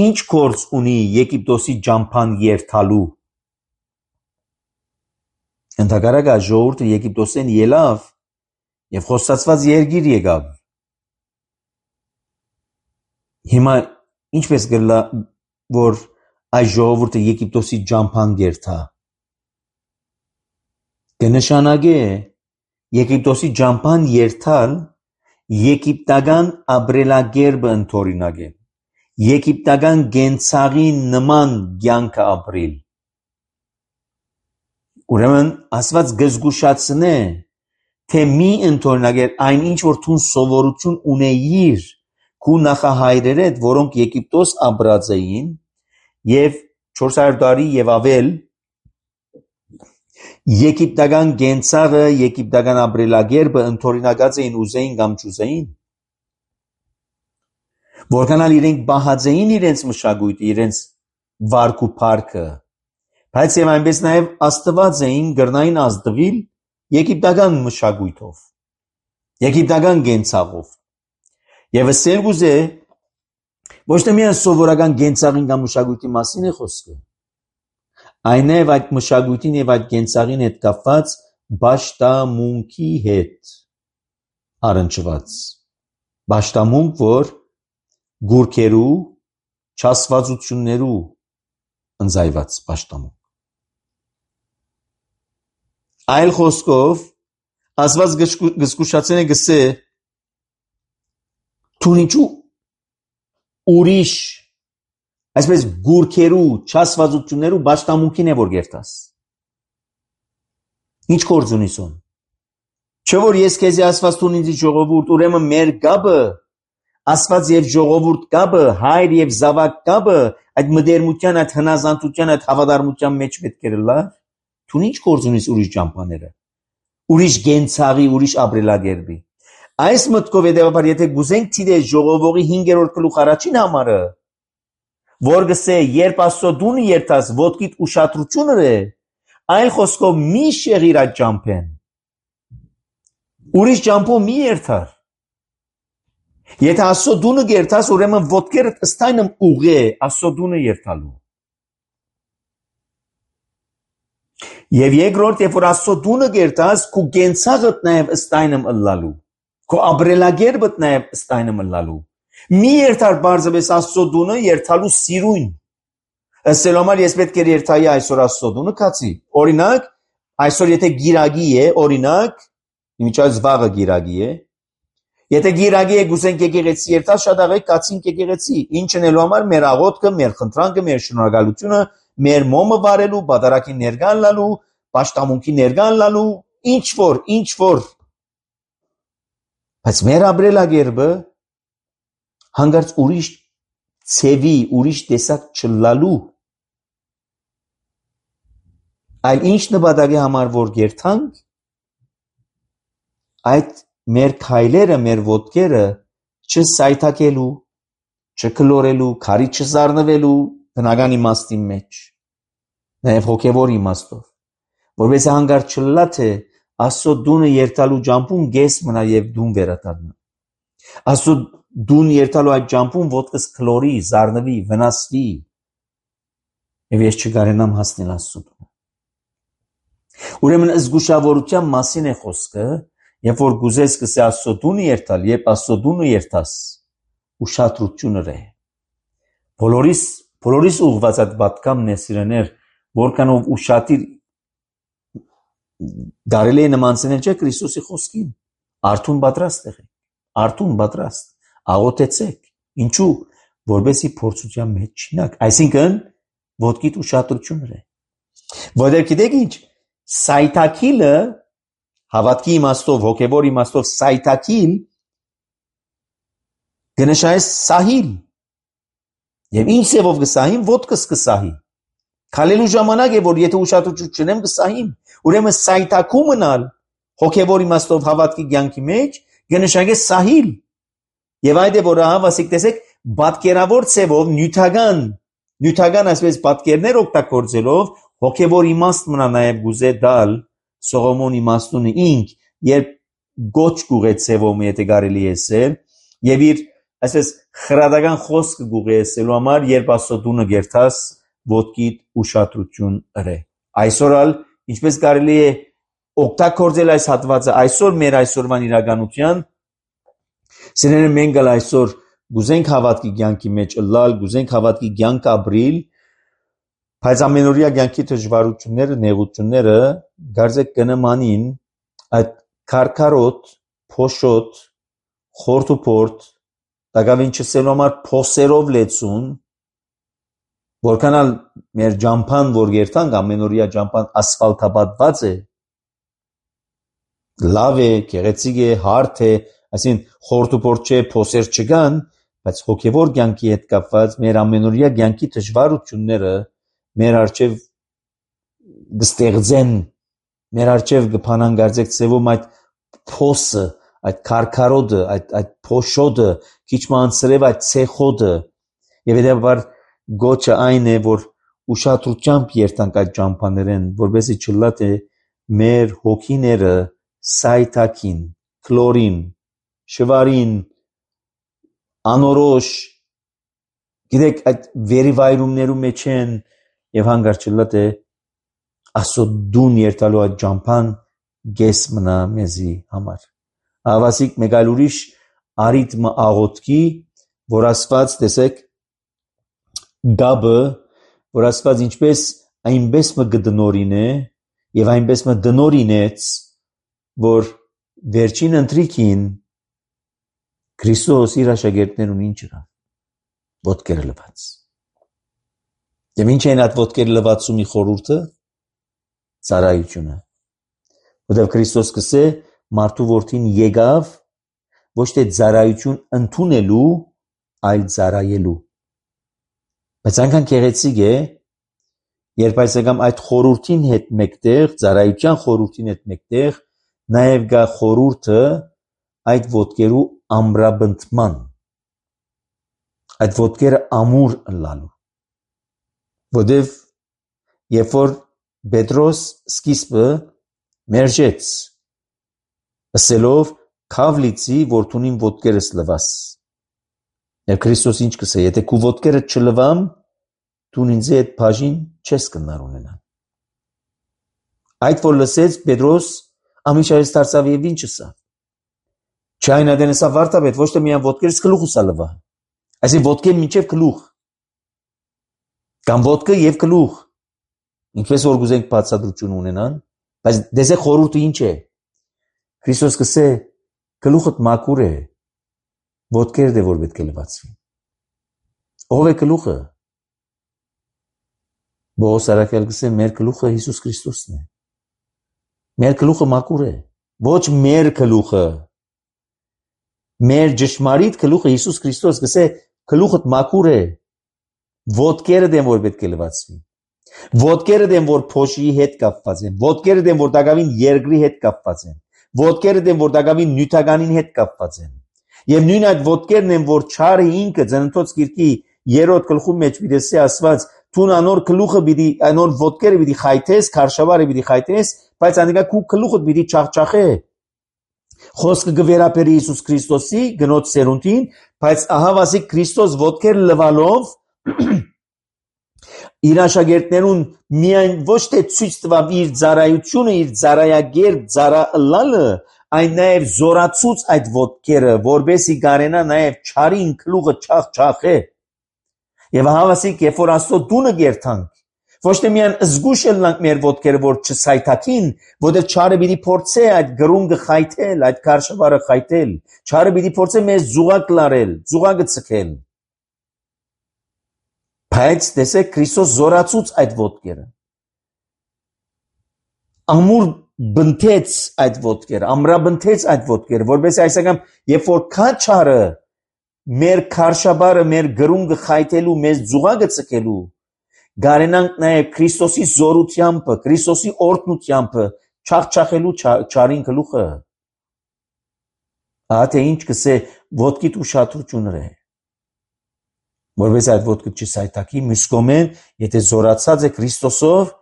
Speaker 1: ինչ գործ ունի Եգիպտոսի ջամփան երթալու»։ Ընդհակառակը ժողովուրդը Եգիպտոսեն ելավ եւ խոստացված երկիր եկավ։ Հիմա ինչպես գլա որ այս ժողովուրդը Եգիպտոսի ջամփան երթա։ Կնշանակե Եգիպտոսի ջամփան երթալ եգիպտական ապրելակերպը ընդօրինակել, եգիպտական գենցաղի նման կյանքը ապրել։ Ուրեմն Աստված գզգուշացնե, թե մի ընդօրինակել այն ինչ որ դու սովորություն ունեիր քու նախահայրեր հետ, որոնք Եգիպտոս ապրած էին եւ չորս հարյուր տարի եւ ավել Եգիպտական գենցաղը, եգիպտական ապրելակերպը ընդօրինակած էին ուզեին կամ չուզեին, որքանալ իրենք բահած էին իրենց մշակույթը, իրենց վարք ու փառքը, բայց եւ այնպես նաեւ աստված էին գրնային ազդվել եգիպտական մշակույթով, եգիպտական գենցաղով։ Եվ ասել գուզե ոչ թե միայն սովորական գենցաղին կամ մշակույթի մասին է խոսքը, այն է այդ մշակույթին եւ այդ գենցաղին հետ կապված բաշտամունքի հետ առնչված բաշտամունք, որ գուրքերու չասվածություններու ընձայված բաշտամունք։ Այլ խոսքով Աստված գզգուշացնե գսե դու ինչու ուրիշ այսպես գուրքերու չասվածություններու բաշտամունքին է որ գերտաս։ Ինչ գործ ունիս ուն։ Չէ որ ես քեզի ասված տուն ինձ ժողովուրդ, ուրեմն մեր գաբը Աստված եւ ժողովուրդ գաբը, հայր եւ զավակ գաբը, այդ մդերմության, այդ հնազանդության, այդ հավատարմության մեջ պետք է լա։ Դու ինչ գործ ունիս ուրիշ ճամփաները, ուրիշ գենցաղի, ուրիշ ապրելակերպի։ Այս մտքով հետեւաբար եթե գուզենք ցիդե ժողովողի հինգերորդ գլուխ առաջին համարը, որ գսե երբ Աստծո դունը երթաս ոտքիդ ուշադրությունը է, այլ խոսքով մի շեղիր այդ ճամփեն։ Ուրիշ ճամփով մի երթար։ Եթե Աստծո դունը երթաս, ուրեմն ոտքերդ ըստայնմ ուղե Աստծո դունը երթալու։ Եվ երկրորդ, երբ որ Աստծո դունը երթաս, քու գենցաղդ նաև ըստայնմ ըլլալու, քու ապրելակերպդ նաև ըստայնմ ըլլալու։ Մի երթար բարձրապես Աստծո դունը երթալու սիրուն։ Ըստ համար ես պետք է երթայի այսօր Աստծո դունը կացի։ Օրինակ, այսօր եթե գիրագի է, օրինակ, իմիջայց վաղը գիրագի է, եթե գիրագի է գուսենք եկեղեցի երթալ, շատ աղեք կացինք եկեղեցի, ինչ ընելու համար մեր աղոթքը, մեր խնդրանքը, մեր շնորհակալությունը, մեր մոմը վարելու, բադարակի ներկան լալու, պաշտամունքի ներկան լալու, ինչ որ, ինչ որ։ Բայց մեր ապրելակերպը հանգարց ուրիշ ցևի, ուրիշ տեսակ չլալու, այլ ինչ նպատակի համար որ երթանք, այդ մեր քայլերը, մեր ոտքերը չսայթակելու, չկլորելու, քարի չզառնվելու բնական իմաստի մեջ, նաև հոգևոր իմաստով, որովհետեւ հանգարց չլա թե Աստծո դունը երթալու ջամփուն գես մնա եւ դուն վերադառնա։ Աստծո դուն երթալու այդ ջամփուն ոտքս քլորի, զառնվի, վնասվի։ Եվ ես չկարենամ հասնել Աստծո դունը։ Ուրեմն զգուշավորության մասին է խոսքը, երբ որ գուզես կսե Աստծո դունը երթալ, երբ Աստծո դունը երթաս, ուշադրությունը ռե։ Բոլորիս, բոլորիս ուղված այդ պատկամն է սիրեներ, որքանով ուշադիր դարելի է նմանցնել չէ Քրիստոսի խոսքին։ Արթուն պատրաստ եղեք, արթուն պատրաստ, աղոթեցեք։ Ինչու՞, որովհետեւ փորձության մեջ չինակ, այսինքն ոտքիդ ուշադրություն ռե։ Որտեղ գիտեք ինչ, սայթակիլը հավատքի իմաստով, հոգևոր իմաստով սայթակիլ գնշայ սահիլ։ Եվ ինչ սևով կսահին, ոտքս կսահի։ Քալելու ժամանակ է, որ եթե ուշադրություն չունեմ կսահին։ Ուրեմն սայթակու մնալ հոգևոր իմաստով հավատքի կյանքի մեջ գնշայ սահիլ։ Եվ այդ է որ հավասիկ տեսեք պատկերավոր ցևով նյութական նյութական այսպես պատկերներ օգտագործելով հոգևոր իմաստ մնա նաև գուզե դալ Սողոմոն իմաստունը ինք երբ գոչ գուղեցեվում եթե կարելի է ասել եւ իր այսպես խրադական խոսքը գուղեցելու համար երբ Աստծո դունը գերտաս ոտքիդ ուշադրություն ըրե այսօր ալ ինչպես կարելի է օգտագործել այս հատվածը այսօր մեր այսօրվան իրականության սերերը մենք ալ այսօր գուզենք հավատքի կյանքի մեջ ըլլալ գուզենք հավատքի կյանք ապրիլ բայց ամենօրյա կյանքի դժվարությունները նեղությունները գարձեք կնմանին այդ քարքարոտ փոշոտ խորտուփորտ դակավին չսելու համար փոսերով լեցուն որքանալ մեր ջամփան որ երթանք ամենօրյա ջամփան ասֆալտապատված է լավ է գեղեցիկ է հարթ է այսին խորտուփորտ չէ փոսեր չկան բայց հոգևոր կյանքի հետ կապված մեր ամենօրյա կյանքի դժվարությունները մեր արչև գստեղծեն մեր արչև գփանան գարձեք ծևում այդ փոսը այդ քարքարոդը այդ այդ փոշոդը քիչ մանցրև այդ ցեխոդը եւ հետեւաբար գոչը այն է որ ուշադրությամբ երթանք այդ ջամփաներեն որովհետեւ չլա թե մեր հոգիները սայթակին քլորին շվարին անորոշ գիտեք այդ վերիվայրումներու մեջ են եւ հանգարց չլա թե Աստծո դուն երթալու այդ ջամփան գես մնա մեզի համար հավասիկ մեկ այլ ուրիշ արիթմը աղոթքի որ Աստված տեսեք գաբը որ Աստված ինչպես այնպես մը գդնորին է եւ այնպես մը դնորինեց որ վերջին ընտրիկին Քրիստոս իր աշակերտներուն ինչ ըրավ ոտքերը լվաց եւ ինչ են այդ ոտքերը լվացումի խորհուրդը ծառայությունը որտեղ Քրիստոս կսե մարդու որդին եկավ ոչ թե ծառայություն ընդունելու այլ ծառայելու բայց այնքան գեղեցիկ է երբ այսեկամ այդ խորհրդին հետ մեկտեղ ծառայության խորհրդին հետ մեկտեղ նաև գա խորհուրդը այդ ոտքերու ամրաբնդման այդ ոտքերը ամուր ըլլալու որտեվ երբ որ Պետրոս սկիզբը մերժեց ասելով քավլիցի որդունին ոտքերս լվաս եւ Քրիստոս ինչ կսե եթե քու ոտքերը չլվամ դու ինձ այդ բաժին չես կնար ունենալ այդ որ լսեց Պետրոս ամիշայից դարձավ եւ ինչ ասավ չայն ադենեսա վարտաբեդ ոչ թե միան ոտքերս գլուխս ալվա այսի ոտքեր մինչեւ գլուխ կամ ոտքը եւ գլուխ ինչպես որ գուզենք բացատրություն ունենան բայց դեզե խորհուրդը ինչ է Քրիստոս կսե գլուխդ մաքուր է ոտքերը դե որ պետք է լվացվի ով է գլուխը Բողոս արաքյալ կսե մեր գլուխը Հիսուս Քրիստոսն է մեր գլուխը մաքուր է ոչ մեր գլուխը մեր ճշմարիտ գլուխը Հիսուս Քրիստոս կսե գլուխդ մաքուր է ոտքերը դեմ որ պետք է լվացվի ոտքերը դեմ որ փոշի հետ կապված են ոտքերը դեմ որ դակավին երկրի հետ կապված են ոտքերը դեմ որ դակավին նյութականին հետ կապված են եւ նույն այդ ոտքերն են որ չարը ինքը ծննդոց գիրքի երրորդ գլխու մեջ պիտի ասված Տուն անոր գլուխը պիտի անոր ոտքերը պիտի խայթես քարշավարը պիտի խայթես բայց անիկա քու գլուխդ պիտի չախչախե խոսքը գվերապերի Հիսուս Քրիստոսի գնոց սերունդին բայց ահավասիկ Քրիստոս ոտքեր լվալով իր աշակերտներուն միայն ոչ թե ցույց տվավ իր ծառայությունը իր ծառայագեր ծառալալը այն նաև զորացուց այդ ոտքերը որբեսի գարենա նաև չարին գլուխը չախչախե եւ ահավասիկ երբ որ Աստծո դունը գերտանք ոչ թե միայն զգուշ ելնանք մեր ոտքերը որ չսայթակին որտեղ չարը պիտի փորձե այդ գրունգը խայթել այդ կարշավարը խայթել չարը պիտի փորձե մեզ զուգակ լարել զուգակը ցկել բայց տեսեք Քրիստոս զորացուց այդ ոտքերը ամուր բնթեց այդ ոտքերը ամրաբնթեց այդ ոտքերը որովհետեւ այսական երբ որ քա չարը մեր քարշաբարը մեր գրունգը խայթելու մեզ զուգակը ցկելու գարենանք նաև Քրիստոսի զորությամբ Քրիստոսի օրհնությամբ չախչախելու չարին գլուխը ահա ինչ կսե ոտքիդ ուշադրությունն է որովհետեւ այդ ոտքը չսայթակի միսկոմեն եթե զորացած է Քրիստոսով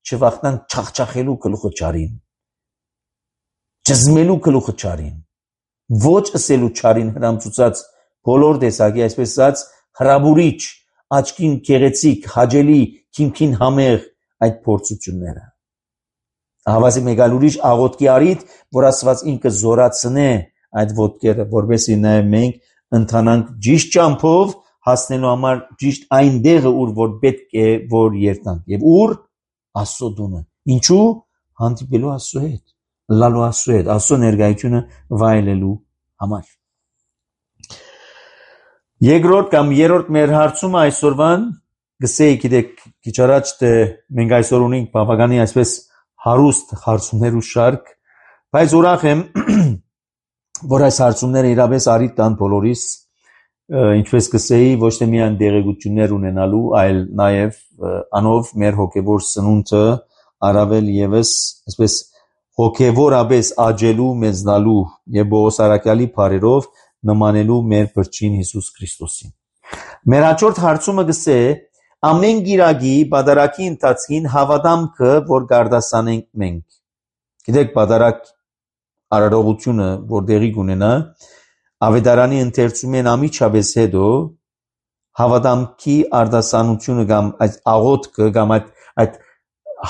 Speaker 1: չվախնանք չախչախելու գլուխը չարին ճզմելու գլուխը չարին ոչ ասելու չարին հրամցուցած բոլոր տեսակի այսպես ասած հրաբուրիչ աչքին քեղեցիկ հաջելի քինքին համեղ այդ փորձությունները ահավասիկ մեգալ ուրիշ աղոթքի արիդ որ Աստված ինքը զորացնե այդ ոտքերը որովհետեւ նաև մենք ընթանանք ճիշտ ճամփով հասնելու համար ճիշտ այն դեղը ուր որ պետք է որ երթանք եւ ուր Աստծո դունը ինչու հանդիպելու Աստծո հետ լալու Աստծո հետ Աստծո ներկայությունը վայելելու համար երկրորդ կամ երրորդ մեր հարցումը այսօրվան գսեի գիտեք քիչ առաջ թե մենք այսօր ունենք բավականի այսպես հարուստ հարցումներու շարք բայց ուրախ եմ որ այս հարցումները իրապես արիդ տան բոլորիս ինչպես կսեի ոչ թե միայն դերեկություններ ունենալու այլ նաև անով մեր հոգևոր սնունդը առավել եւս այսպես հոգևորապես աճելու մեծնալու եւ Պողոս Արաքյալի բարերով նմանելու մեր Փրկին Հիսուս Քրիստոսին մեր հաջորդ հարցումը գսե ամեն գիրագի բادرակի ընթացքին հավատամքը որ գարդասանենք մենք գիտեք բادرակ արարողությունը որ դեղի կունենա Ավետարանի ընթերցումեն ամիջապես հետո հավատամքի արդասանությունը կամ այդ աղոթքը կամ այդ այդ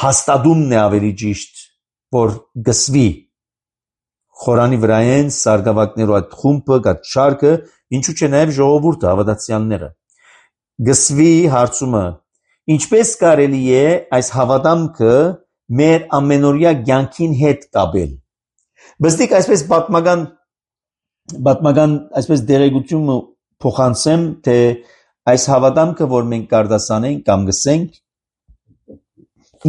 Speaker 1: հաստատումն է ավելի ճիշտ որ գսվի խորանի վրայեն սարգսակներու այդ խումբը գած շարքը ինչու՞ չէ նաև ժողովուրդը հավատացյալները գսվի հարցումը ինչպես կարելի է այս հավատամքը մեր ամենօրյա կյանքին հետ կապել բստիկ այսպես պատմական պատմական այսպես դերեկությունը փոխանցեմ թե այս հավատամքը որ մենք կարդասանենք կամ գսենք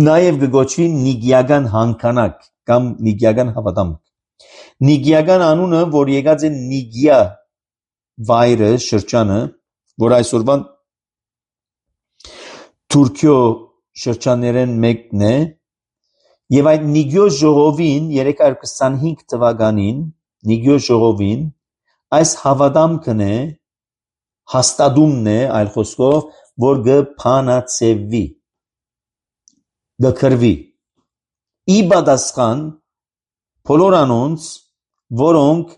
Speaker 1: նաև գոչվի նիգիական հանքանակ կամ նիգիական հավատամք նիգիական անունը որ եկած է նիգիա վայրը շրջանը որ այսօրվան Թուրքիո շրջաններեն մեկն է եւ այդ նիգիո ժողովին երեք հարյուր քսանհինգ թվականին նիգիո ժողովին այս հավատամքն է հաստատումն է այլ խոսքով որ գփանացեվի գկրվի իբադասխան բոլոր անոնց որոնք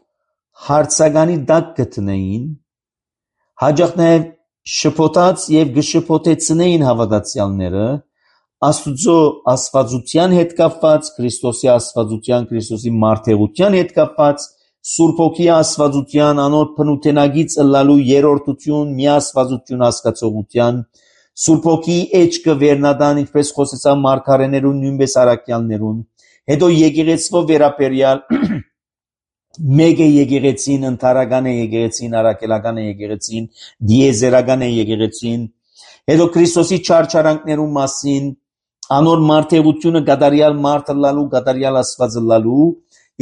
Speaker 1: հարցականի դակ գտնեին հաջող նաև շփոթած եւ գշփոթեցնեին հավատացյալները Աստուծո աստվածության հետ կապված Քրիստոսի աստվածության Քրիստոսի մարդեղության հետ կապված Սուրբ Հոգի աստվածության անոր փնութենագից ըլլալու երրորդություն միաստվածություն հասկացողության Սուրբ Հոգի էջքը վերնադան ինչպես խոսեցա մարգարեներուն նույնպես արաքյալներուն հետո եկեղեցվո վերապերյալ մեկ է եկեղեցին ընթարական է եկեղեցին արաքելական է եկեղեցին դիեզերական է եկեղեցին հետո Քրիստոսի չարչարանքներու մասին անոր մարդեղությունը գադարյալ մարդը լալու գադարյալ աստված լալու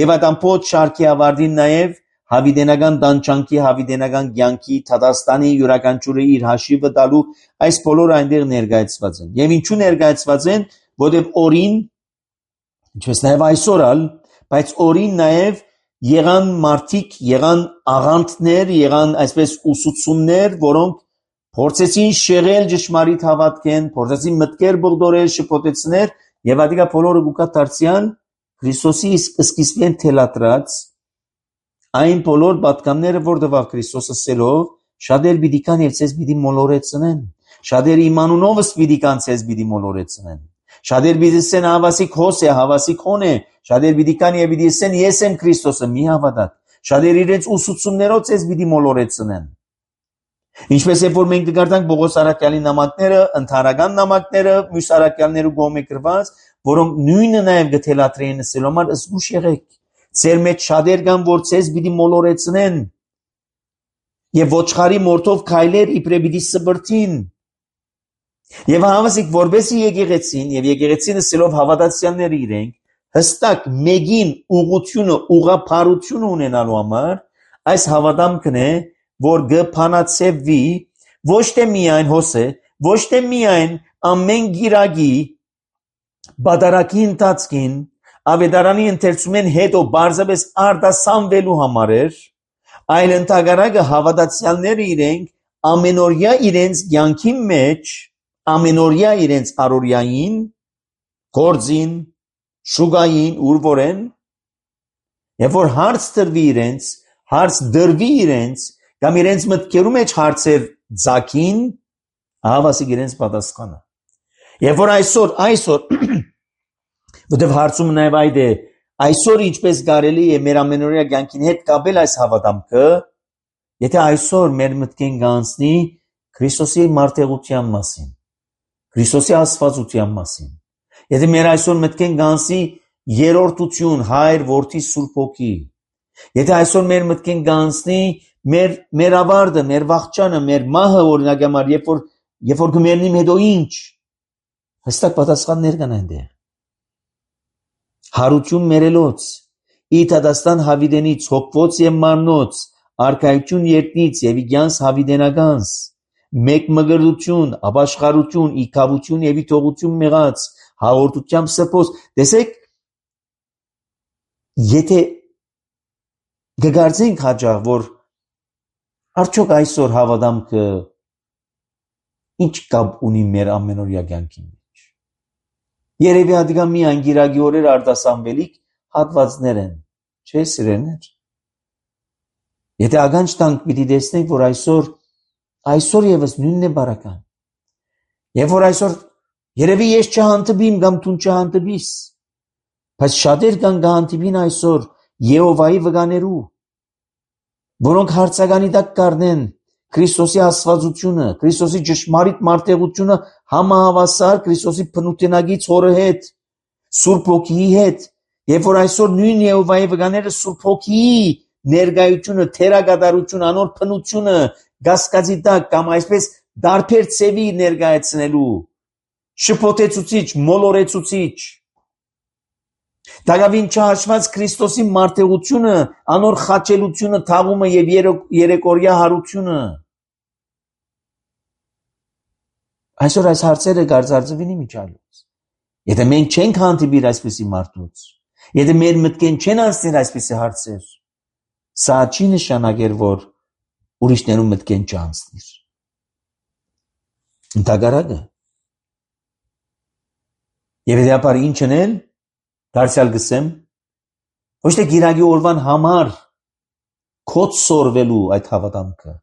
Speaker 1: եւ այդ ամբողջ շարքի ավարտին նաեւ հավիդենական տանջանքի հավիդենական կյանքի Թադաստանի յուրաքանչյուրը իր հաշիվը տալու այս բոլորը այնտեղ ներկայացված են եւ ինչու ներկայացված են որովհետեւ օրին ինչպես նաեւ այսօր ալ բայց օրին նաեւ եղան մարդիկ եղան աղանդներ եղան այսպես ուսուցումներ որոնք փորձեցին շեղել ճշմարիտ հավատքեն փորձեցին մտքեր բողդորել շփոթեցնել եւ ադիգա բոլորը գուկա դարձյալ Քրիստոսի սկիզբին թելադրած այն բոլոր պատկանները, որ տվավ Քրիստոսը սելով, շատեր պիտի կան եւ ցեզ պիտի մոլորեցնեն։ Շատեր իմանունովս պիտի կան ցեզ պիտի մոլորեցնեն։ Շատեր պիտի ասեն հավասի քոս է, հավասի քոն է։ Շատեր պիտի կան եւ պիտի ասեն ես եմ Քրիստոսը, մի հավատաք։ Շատեր իրենց ուսուցումներով ցեզ պիտի մոլորեցնեն։ Ինչպես է որ մենք դգարտանք Պողոս Արաքյալի նամակները, ընդհանրական նամակները, մյուս արաքյալներու գոմե գրված, որոնք նույնը նաև գթելատրեին ասելու համար զգուշ եղեք։ Ձեր մեջ շատեր կան, որ ցեզ պիտի մոլորեցնեն եւ ոչխարի մորթով քայլեր իբրե պիտի սբրտին։ Եվ հավասիկ որբեսի եկեղեցին եւ եկեղեցին ասելով հավատացյալներ իրենք հստակ մեգին ուղությունը, ուղափառությունը ունենալու համար այս հավատամքն է, որ գփանացեվի ոչ թե միայն հոսե, ոչ թե միայն ամեն գիրագի բادرակի ընթացքին ավետարանի ընթերցումեն հետո բարձրապես արտասանվելու համար էր, այլ ընդհանրակը հավատացյալները իրենք ամենօրյա իրենց կյանքի մեջ, ամենօրյա իրենց առօրյային, գործին, շուգային, ուր որեն, եւ որ հարց դրվի իրենց, հարց դրվի իրենց, կամ իրենց մտքերու մեջ հարցեր ձակին, հավասիկ իրենց պատասխանը։ Եվ որ այսօր, այսօր, որտեվ հարցումը նաև այդ է, այսօր ինչպես կարելի է մեր ամենօրյա կյանքին հետ կապել այս հավատամքը, եթե այսօր մեր մտքին գանցնի Քրիստոսի մարտեղության մասին, Քրիստոսի աստվածության մասին, եթե մեր այսօր մտքին գանցնի երրորդություն, Հայր, Որդի, Սուրբ Հոգի, եթե այսօր մեր մտքին գանցնի մեր մեր ավարտը, մեր վախճանը, մեր մահը օրինակ համար, երբ որ երբ որ գմերնիմ հետո ինչ, հստակ պատասխաններ կան այնտեղ։ Հարություն մերելոց, իթադաստան հավիդենից, հոգվոց եւ մարնոց, արքայություն երտնից եւ իգյանս հավիդենականս, մեկ մգրդություն, ապաշխարություն, իքավություն եւ իտողություն մեղած, հաղորդությամբ սրբոց։ Տեսեք, եթե գգարձենք հաջող, որ արդյոք այսօր հավատամքը ինչ կապ ունի մեր ամենօրյա կյանքի մեջ։ Երևի հատիկա միայն գիրագի օրեր արտասանվելիք հատվածներ են, չէ՞ սիրելիներ։ Եթե ականջ տանք պիտի տեսնենք, որ այսօր այսօր եւս նույնն է բարական։ Եվ որ այսօր երևի ես չհանդիպիմ կամ դու չհանդիպիս, բայց շատեր կան կհանդիպին այսօր Եհովայի վկաներու, որոնք հարցականի տակ կառնեն Քրիստոսի աստվածությունը, Քրիստոսի ճշմարիտ մարտեղությունը համահավասար Քրիստոսի բնութենագից հորը հետ, Սուրբ Հոգիի հետ, եւ որ այսօր նույն Եհովայի վկաները Սուրբ Հոգիի ներկայությունը, թերակատարությունը, անոր բնությունը գասկածի տակ կամ այսպես դարբեր ծևի ներկայացնելու, շփոթեցուցիչ, մոլորեցուցիչ, Դագավին չհաշված Քրիստոսի մարտեղությունը, անոր խաչելությունը, թաղումը եւ երեկորյա հարությունը։ Այսօր այս հարցերը գարձարձվին միջալուց։ Եթե մենք չենք հանդիպիր այսպիսի մարդուց, եթե մեր մտքեն չեն անցնել այսպիսի հարցեր, սա չի նշանակեր, որ ուրիշներու մտքեն չանցնիր։ Ընդհակառակը։ Եվ դեպար ինչն են դարձյալ գսեմ, ոչ թե գիրագի օրվան համար կոց սորվելու այդ հավատամքը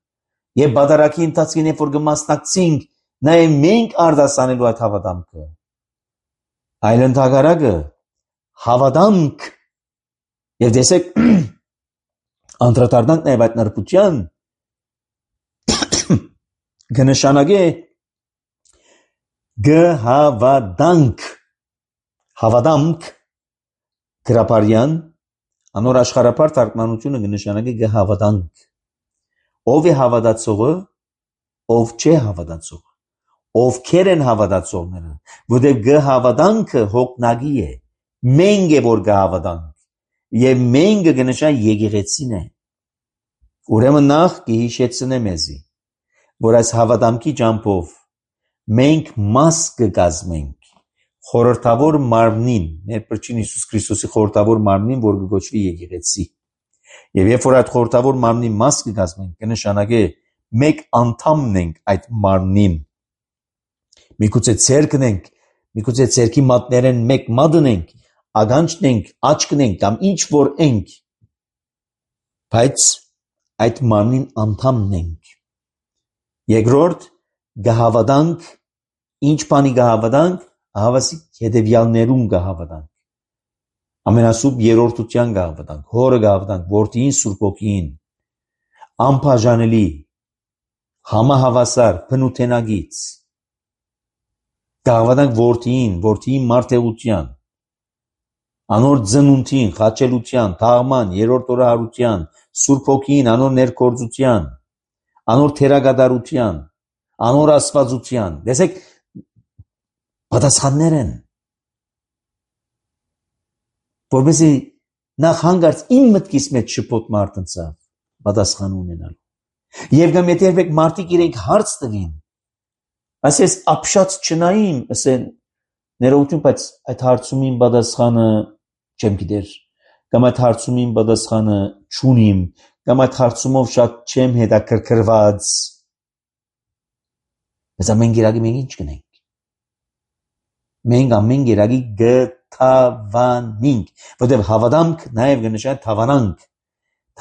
Speaker 1: եւ բادرակի ընթացքին երբ որ կմասնակցենք նաեւ մենք արտասանելու այդ հավատամքը, այլ ընդհակառակը հավատամք եւ տեսեք անդրադառնանք նաեւ այդ նրբության կնշանակե գհավադանք հավատամք գրապարյան անոր աշխարհապար թարգմանությունը կնշանակի գհավադանք ով է հավատացողը ով չէ հավատացողը ովքեր են հավատացողները որտեղ գհավադանքը հոգնագի է մենք է որ գհավադանք եւ մենք կնշան եկեղեցին է ուրեմն նախ կհիշեցնեմ մեզի որ այս հավատամքի ճամփով մենք մաս կգազմենք խորհրդավոր մարմնին, մեր Փրկին Հիսուս Քրիստոսի խորհրդավոր մարմնին, որ կոչվի եկեղեցի։ Եվ երբ որ այդ խորհրդավոր մարմնի մաս կգազմենք, կնշանակե մեկ անդամն ենք այդ մարմնին։ Միգուցե ցերկն ենք, միգուցե ցերկի մատներեն մեկ մատն ենք, ականջնենք, աչքնենք կամ ինչ որ ենք, բայց այդ մարմին անդամն ենք։ Երկրորդ գահավատանք, ինչ բանի գահավատանք, հավասիկ հետևյալներում գահավատանք։ Ամենասուրբ երրորդության գահավատանք, հորը գահավատանք, որդին, Սուրբ Հոգին, անբաժանելի, համահավասար, բնութենագից, գահավատանք որդին, որդին մարդեղության, անոր ծնունդին, խաչելության, թաղման, երրորդ օրը հարության, Սուրբ Հոգին, անոր ներկործության, անոր թերագադարության, անոր աստվածության։ Տեսեք, պատասխաններ են, որպեսզի նախ հանգարց իմ մտքիս մեջ շփոթ մարտնցավ պատասխան ունենալու։ Եվ կամ եթե երբեք մարդիկ իրենք հարց տվին, ասես ապշած չնային, ասեն ներողություն, բայց այդ հարցումին պատասխանը չեմ գիտեր, կամ այդ հարցումին պատասխանը չունիմ, կամ այդ հարցումով շատ չեմ հետաքրքրված։ Բայց ամեն գերագի մենք ինչ կնենք։ Մենք ամեն գերագի գթավանինք, որտեղ հավատամք նաև կնշանակի թավանանք,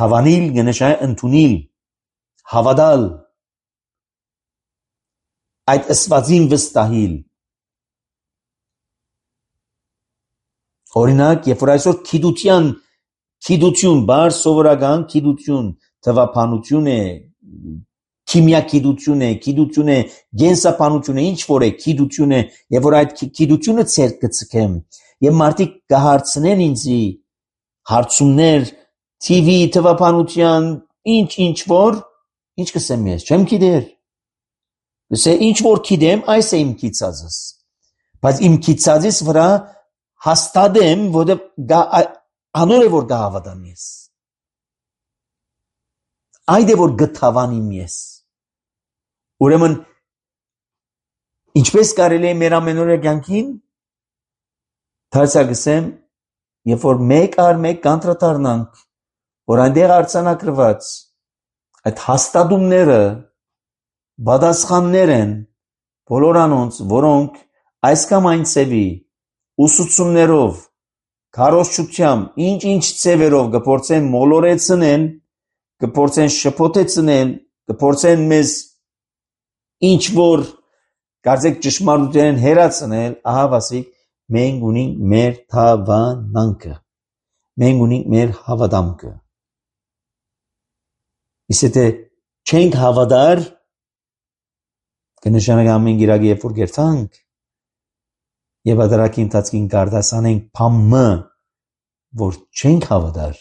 Speaker 1: թավանիլ կնշանակի ընդունել, հավատալ, այդ ըսվածին վստահիլ։ Օրինակ, երբ որ այսօր գիտության, գիտություն, բար սովորական գիտություն, թվաբանություն է, քիմիագիտություն է, գիտություն է, գենսաբանություն է, ինչ որ է, գիտություն է, եւ որ այդ գիտությունը ցերկ կցկեմ, եւ մարդիկ կհարցնեն ինձի հարցումներ, T V, թվաբանության, ինչ ինչ որ, ինչ կսեմ ես, չեմ գիտեր։ Դե ինչ որ գիտեմ, այս է իմ գիծածս։ Բայց իմ գիծածից վրա հաստատեմ, որտեղ անոր է որ գահավատամ ես։ Այդ է որ գթավանիմ ես։ Ուրեմն ինչպես կարելի է մեր ամենօրյա կյանքին դարձյալ երբ որ մեկ առ մեկ կանտրատարնանք, որ այնտեղ արձանագրված այդ հաստատումները պատասխաններ են բոլոր անոնց, որոնք այս կամ այն ծևի ուսուցումներով, քարոզչությամբ, ինչ-ինչ ծևերով կփորձեն մոլորեցնել, կփորձեն շփոթեցնել, կփորձեն մեզ ինչ որ կարծեք ճշմարտութեն հերացնել, ահա ասիկ մենք ունենք մեր թավանանքը, մենք ունենք մեր հավատամքը։ Իսկ եթե չենք հավատար, կնշանակի ամեն գիրագի երբ որ գերտանք, եւ ադարակի ընթացքին գարդասանենք փամը, որ չենք հավատար,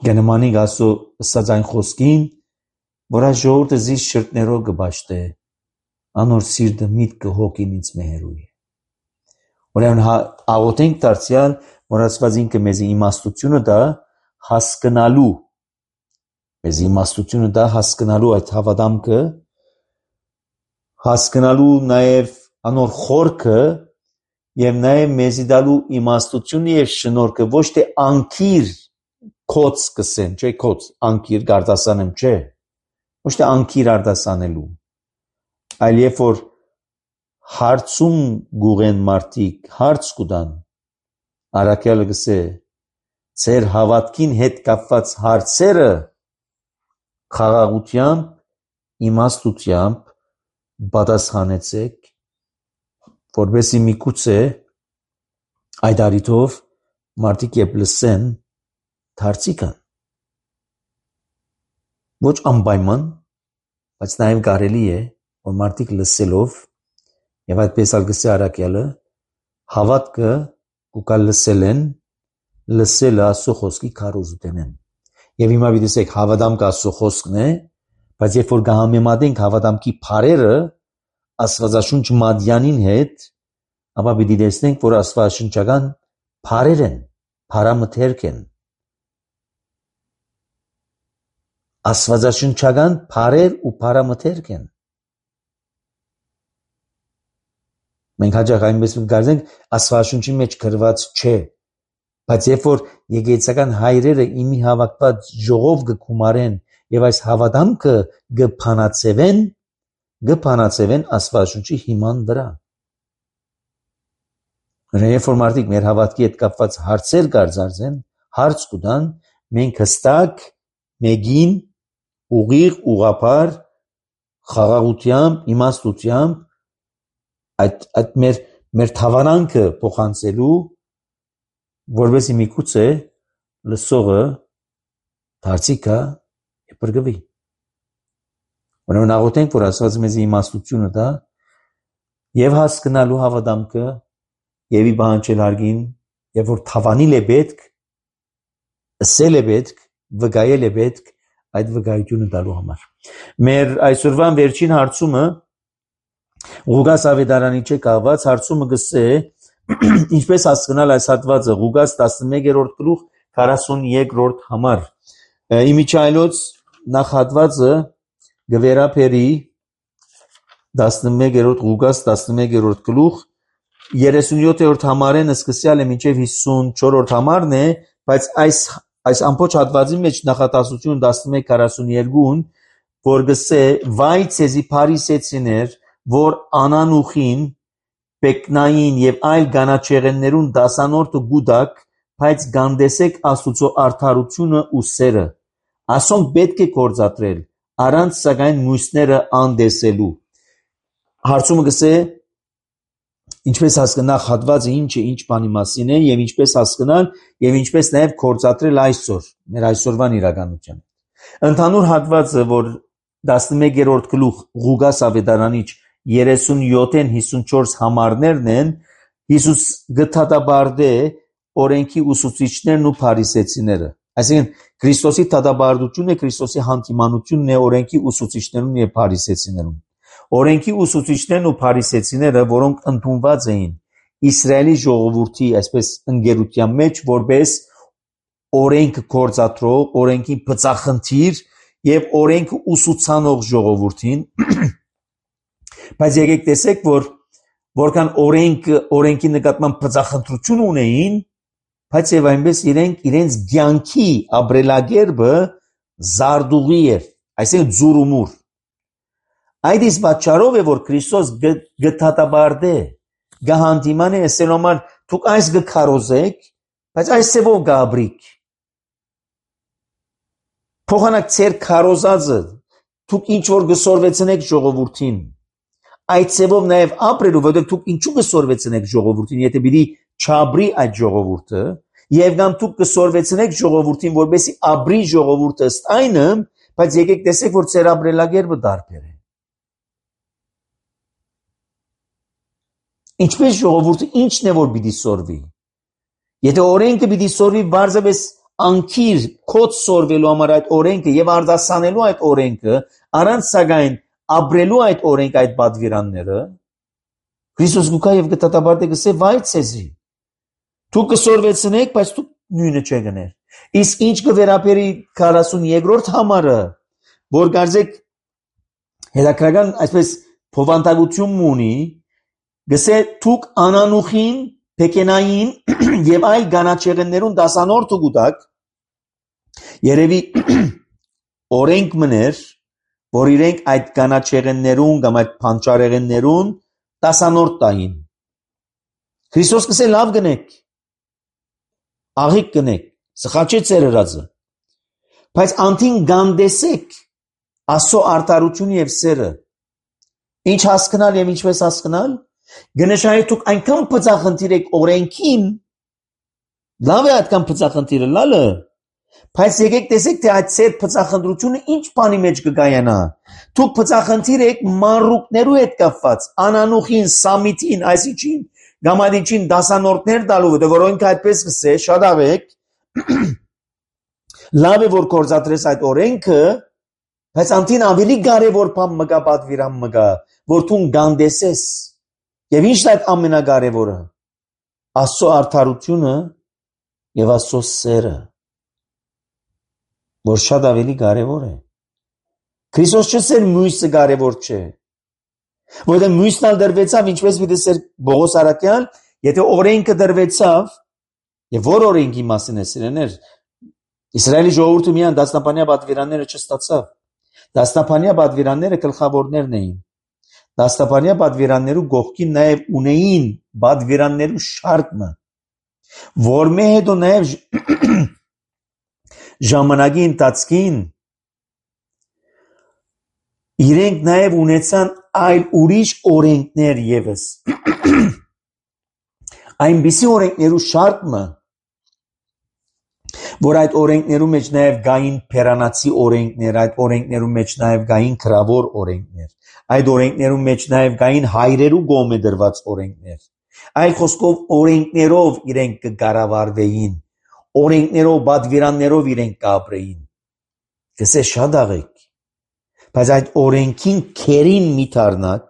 Speaker 1: գնմանիկ ասո ըսած այն խոսքին, որ այս ժողովուրդը զիս շրտներով կբաշտե, անոր սիրտը միտքը հոգին ինձ մեհերուի։ Ուրեմն աղոթենք դարձյալ, որ Աստված ինքը մեզ իմաստությունը դա հասկանալու, մեզ իմաստությունը դա հասկանալու այդ հավատամքը, հասկանալու նաև անոր խորքը եւ նաև մեզի դալու իմաստությունը եւ շնորհքը ոչ թե անկիր կոց կսեն, չէ, կոց, անկիր գարդասանեմ, չէ, ոչ թե անկիր արտասանելու, այլ երբ որ հարցում գուղեն մարդիկ, հարց կուտան, առաքյալը կսե, ձեր հավատքին հետ կապված հարցերը խաղաղությամբ, իմաստությամբ պատասխանեցեք, որպեսզի միգուցե այդ առիթով մարդիկ երբ լսեն դարձիկան։ Ոչ անպայման, բայց նաև կարելի է, որ մարդիկ լսելով եւ այդպես ալգսի առաքյալը հավատքը կուկա լսել են, լսելը Աստծո խոսքի քարոզութեն են։ Եվ հիմա դիտեք հավատամքը Աստծո խոսքն է, բայց երբ որ կհամեմատենք հավատամքի բարերը Աստվածաշունչ մատյանին հետ, ապա պիտի տեսնենք, որ աստվածաշնչական բարեր են, բարամթերք են։ Աստվածաշնչական բարեր ու բարամթերք են։ Մենք հաճախ այնպես կգարձենք, աստվածաշունչի մեջ գրված չէ, բայց երբ որ եկեղեցական հայրերը իմի հավաքված ժողով կգումարեն եւ այս հավատամքը կփանացվեն, կփանացվեն աստվածաշունչի հիման վրա։ Երբ որ մարդիկ մեր հավատքի հետ կապված հարցեր կարձարցեն, հարց կտան, մենք հստակ մեկին ուղիղ ուղղափառ խաղաղությամբ, իմաստությամբ այդ այդ մեր մեր թավանանքը փոխանցելու, որովհետեւ միգուցե լսողը դարձի կա բրգվի։ Ուրեմն աղոթենք, որ Աստված մեզ իմաստությունը տա եւ հասկանալու հավատամքը եւ ի բանջել հարգին, եւ որ թավանիլ է պետք, ասել է պետք, վկայել է պետք այդ վկայությունը տալու համար։ Մեր այսօրվան վերջին հարցումը Ղուկաս ավետարանի չէ կահված, հարցումը գսե ինչպես հասկանալ այս հատվածը Ղուկաս տասնմեկերորդ գլուխ քառասունյոթերորդ համար։ Իմիջայլոց նախ հատվածը գվերապերի տասնմեկերորդ Ղուկաս տասնմեկերորդ գլուխ երեսունյոթերորդ համարեն սկսյալ է մինչև հիսունչորրորդ համարն է, բայց այս այս ամբողջ հատվածի մեջ նախատասությունը տասնմեկ քառասունյոթ-ն որ գսե վայ ցեզի փարիսեցիներ, որ անանուխին, պեկնային եւ այլ գանաչեղեններուն դասանորդը գուդակ, բայց գանդեսեք Աստուծո արդարությունը ու սերը։ Ասոնք պետք է կործատրել, առանց սակայն մյուսները անդեսելու։ Հարցումը գսե ինչպես հասկանալ հատվածը ինչ է, ինչ բանի մասին է եւ ինչպես հասկանալ եւ ինչպես նաեւ կործատրել այսօր մեր այսօրվան իրականության։ Ընդհանուր հատվածը, որ տասնմեկերորդ գլուխ Ղուկաս ավետարանիչ երեսունյոթ-ն հիսունչորս համարներն են, Հիսուս գտադաբարդե օրենքի ուսուցիչներն ու փարիսեցիները։ Այսինքն Քրիստոսի դադաբարդությունը Քրիստոսի հանդիմանությունն է օրենքի ուսուցիչներուն եւ փարիսեցիներուն։ Օրենքի ուսուցիչներն ու փարիսեցիները, որոնք ընդունված էին Իսրայելի ժողովրդի այսպես ընկերության մեջ, որպես օրենք կործատրող, օրենքի բծախնդիր եւ օրենքը ուսուցանող ժողովրդին, բայց եկեք տեսեք, որ որքան օրենքը օրենքի նկատմամբ բծախնդրություն ունեին, բայց եւ այնպես իրենք իրենց ցանկի ապրելակերպը զարդուղի էր, այսինքն զուրումուր։ Այդ իսկ պատճառով է, որ Քրիստոս գտադաբարդե գահանդիման է ասել համար դուք այս գքարոզեք, բայց այս ծևով գաբրիկ։ Փոխանակ ծեր քարոզածը դուք ինչ որ գսորվեցնեք ժողովրդին։ Այդ ծևով նաև ապրելու, որովհետև դուք ինչու գսորվեցնեք ժողովրդին, եթե բիդի չաբրի այդ ժողովուրդը, եւ կամ դուք գսորվեցնեք ժողովրդին, որովհետեւ ապրի ժողովուրդը ըստ այնը, բայց եկեք տեսեք, որ ծեր ապրելակերպը դարբեր է։ Ինչպես ժողովուրդը ինչն է որ պիտի սորվի։ Եթե օրենքը պիտի սորվի բարձրապես անկիր կոց սորվելու համար այդ օրենքը եւ արտասանելու այդ օրենքը, առանց սակայն ապրելու այդ օրենք այդ պատվիրանները, Քրիստոս գուկա եւ գտադաբարդե գսե վայ ցեզի։ Դուք կսորվեցնեք, բայց դուք նույնը չգներ։ Իսկ ինչ կվերապերի քառասունյոթերորդ համարը, որ գարձեք հետաքրական այսպես փոխանցություն ունի, գսե դուք անանուխին, պեկենային եւ այլ գանաչեղեններուն դասանորդը գուտակ, երևի օրենք մներ, որ իրենք այդ գանաչեղեններուն կամ այդ փանճարեղեններուն դասանորդ տային։ Քրիստոս գսե լավ գնեք, աղիք գնեք, սխաչե ծեր հրածը, բայց անտին գանդեսեք Աստծո արդարությունը եւ սերը։ Ինչ հասկանալ եւ ինչպես հասկանալ։ Գնշահի դուք այնքան բծախնդիր եք օրենքին, լավ է այդքան բծախնդիրը լալը, բայց եկեք տեսեք, թե այդ ծեր բծախնդրությունը ինչ բանի մեջ կգայանա։ Դուք բծախնդիր եք մանրուկներու հետ կապված, անանուխին, սամիթին, այսինչին, գամադիչին դասանորդներ տալու, որոնք այդպես կսե, շատ ավեք, լավ է որ կործատրես այդ օրենքը, բայց անտին ավելի կարևոր բան մգա պատվիրան մգա, որ դու գանդեսես։ Եվ ի՞նչն է այդ ամենակարևորը։ Աստծո արդարությունը եւ Աստծո սերը, որ շատ ավելի կարևոր է։ Քրիստոս չսեր մյուսը կարևոր չէ։ Որտեղ մյուսն ալ դրվեցավ, ինչպես մի դեսեր Բողոս Արաքյան, եթե օրենքը դրվեցավ, եւ որ օրենքի մասին է սիրեներ, Իսրայելի ժողովուրդը միան դասնապանյա պատվիրանները չստացավ։ Դասնապանյա պատվիրանները գլխավորներն էին։ Դաստապանյա պատվիրաններու գողքին նաև ունեին բադվիրաններու շարքը, որ մե հետո նաև ժամանակի ընթացքին իրենք նաև ունեցան այլ ուրիշ օրենքներ եւս։ Այնպիսի օրենքներու շարքը, որ այդ օրենքներու մեջ նաև գային փերանացի օրենքներ, այդ օրենքներու մեջ նաև գային քրավոր օրենքներ, այդ օրենքներու մեջ նաև գային հայրերու գոմե դրված օրենքներ։ Այլ խոսքով օրենքներով իրենք կկառավարվեին, օրենքներով, բադվիրաններով իրենք կապրեին։ Գսե շատ աղեք, բայց այդ օրենքին քերին մի թարնակ,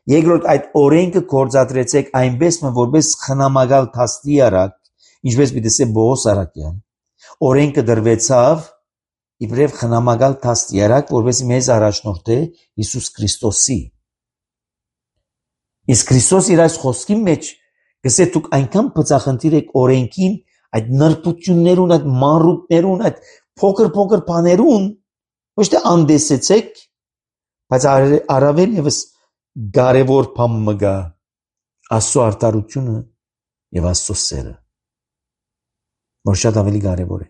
Speaker 1: երկրորդ այդ օրենքը գործադրեցեք այնպես, որպես խնամակալ թաստի արակ, ինչպես պիտի ասե Բողոս Արաքյան, օրենքը դրվեցավ իբրև խնամակալ թաստի արակ, որպես մեզ առաջնորդե Հիսուս Քրիստոսի։ Իսկ Քրիստոս իր այս խոսքի մեջ գսե դուք այնքան բծախնդիր եք օրենքին, այդ նրբություններուն, այդ մանրուքներուն, այդ փոքր-փոքր բաներուն, ոչ թե անդեսեցեք, բայց առավել եւս կարևոր բան մգա Աստծո արդարությունը եւ Աստծո սերը, որ շատ ավելի կարևոր է։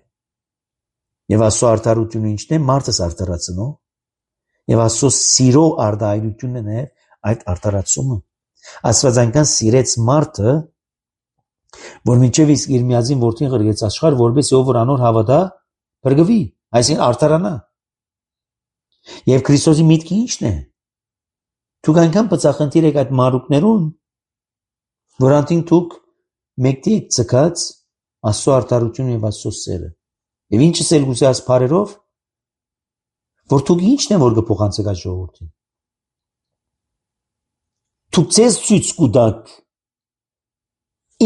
Speaker 1: Եվ Աստծո արդարությունը ինչն է, մարդս արդարացնող, եւ Աստծո սիրո արդարությունն է այդ արդարացումը։ Աստված այնքան սիրեց մարդը, որ մինչև իսկ իր միածին որդին ղրգեց աշխարհ, որպես ով որ անոր հավատա, բրգվի, այսինքն արդարանա։ Եվ Քրիստոսի միտքը ի՞նչն է։ Դուք այնքան բծախնդիր եք այդ մարուկներուն, որ անտին դուք մեկտի եք ցկած Աստծո արդարությունը եւ Աստծո սերը։ Եվ ինչս էլ գուցե ասփարերով, որ դուք ի՞նչն է որ կփոխանցեք այդ ժողովրդին։ Դուք ցես ցույց կուտակ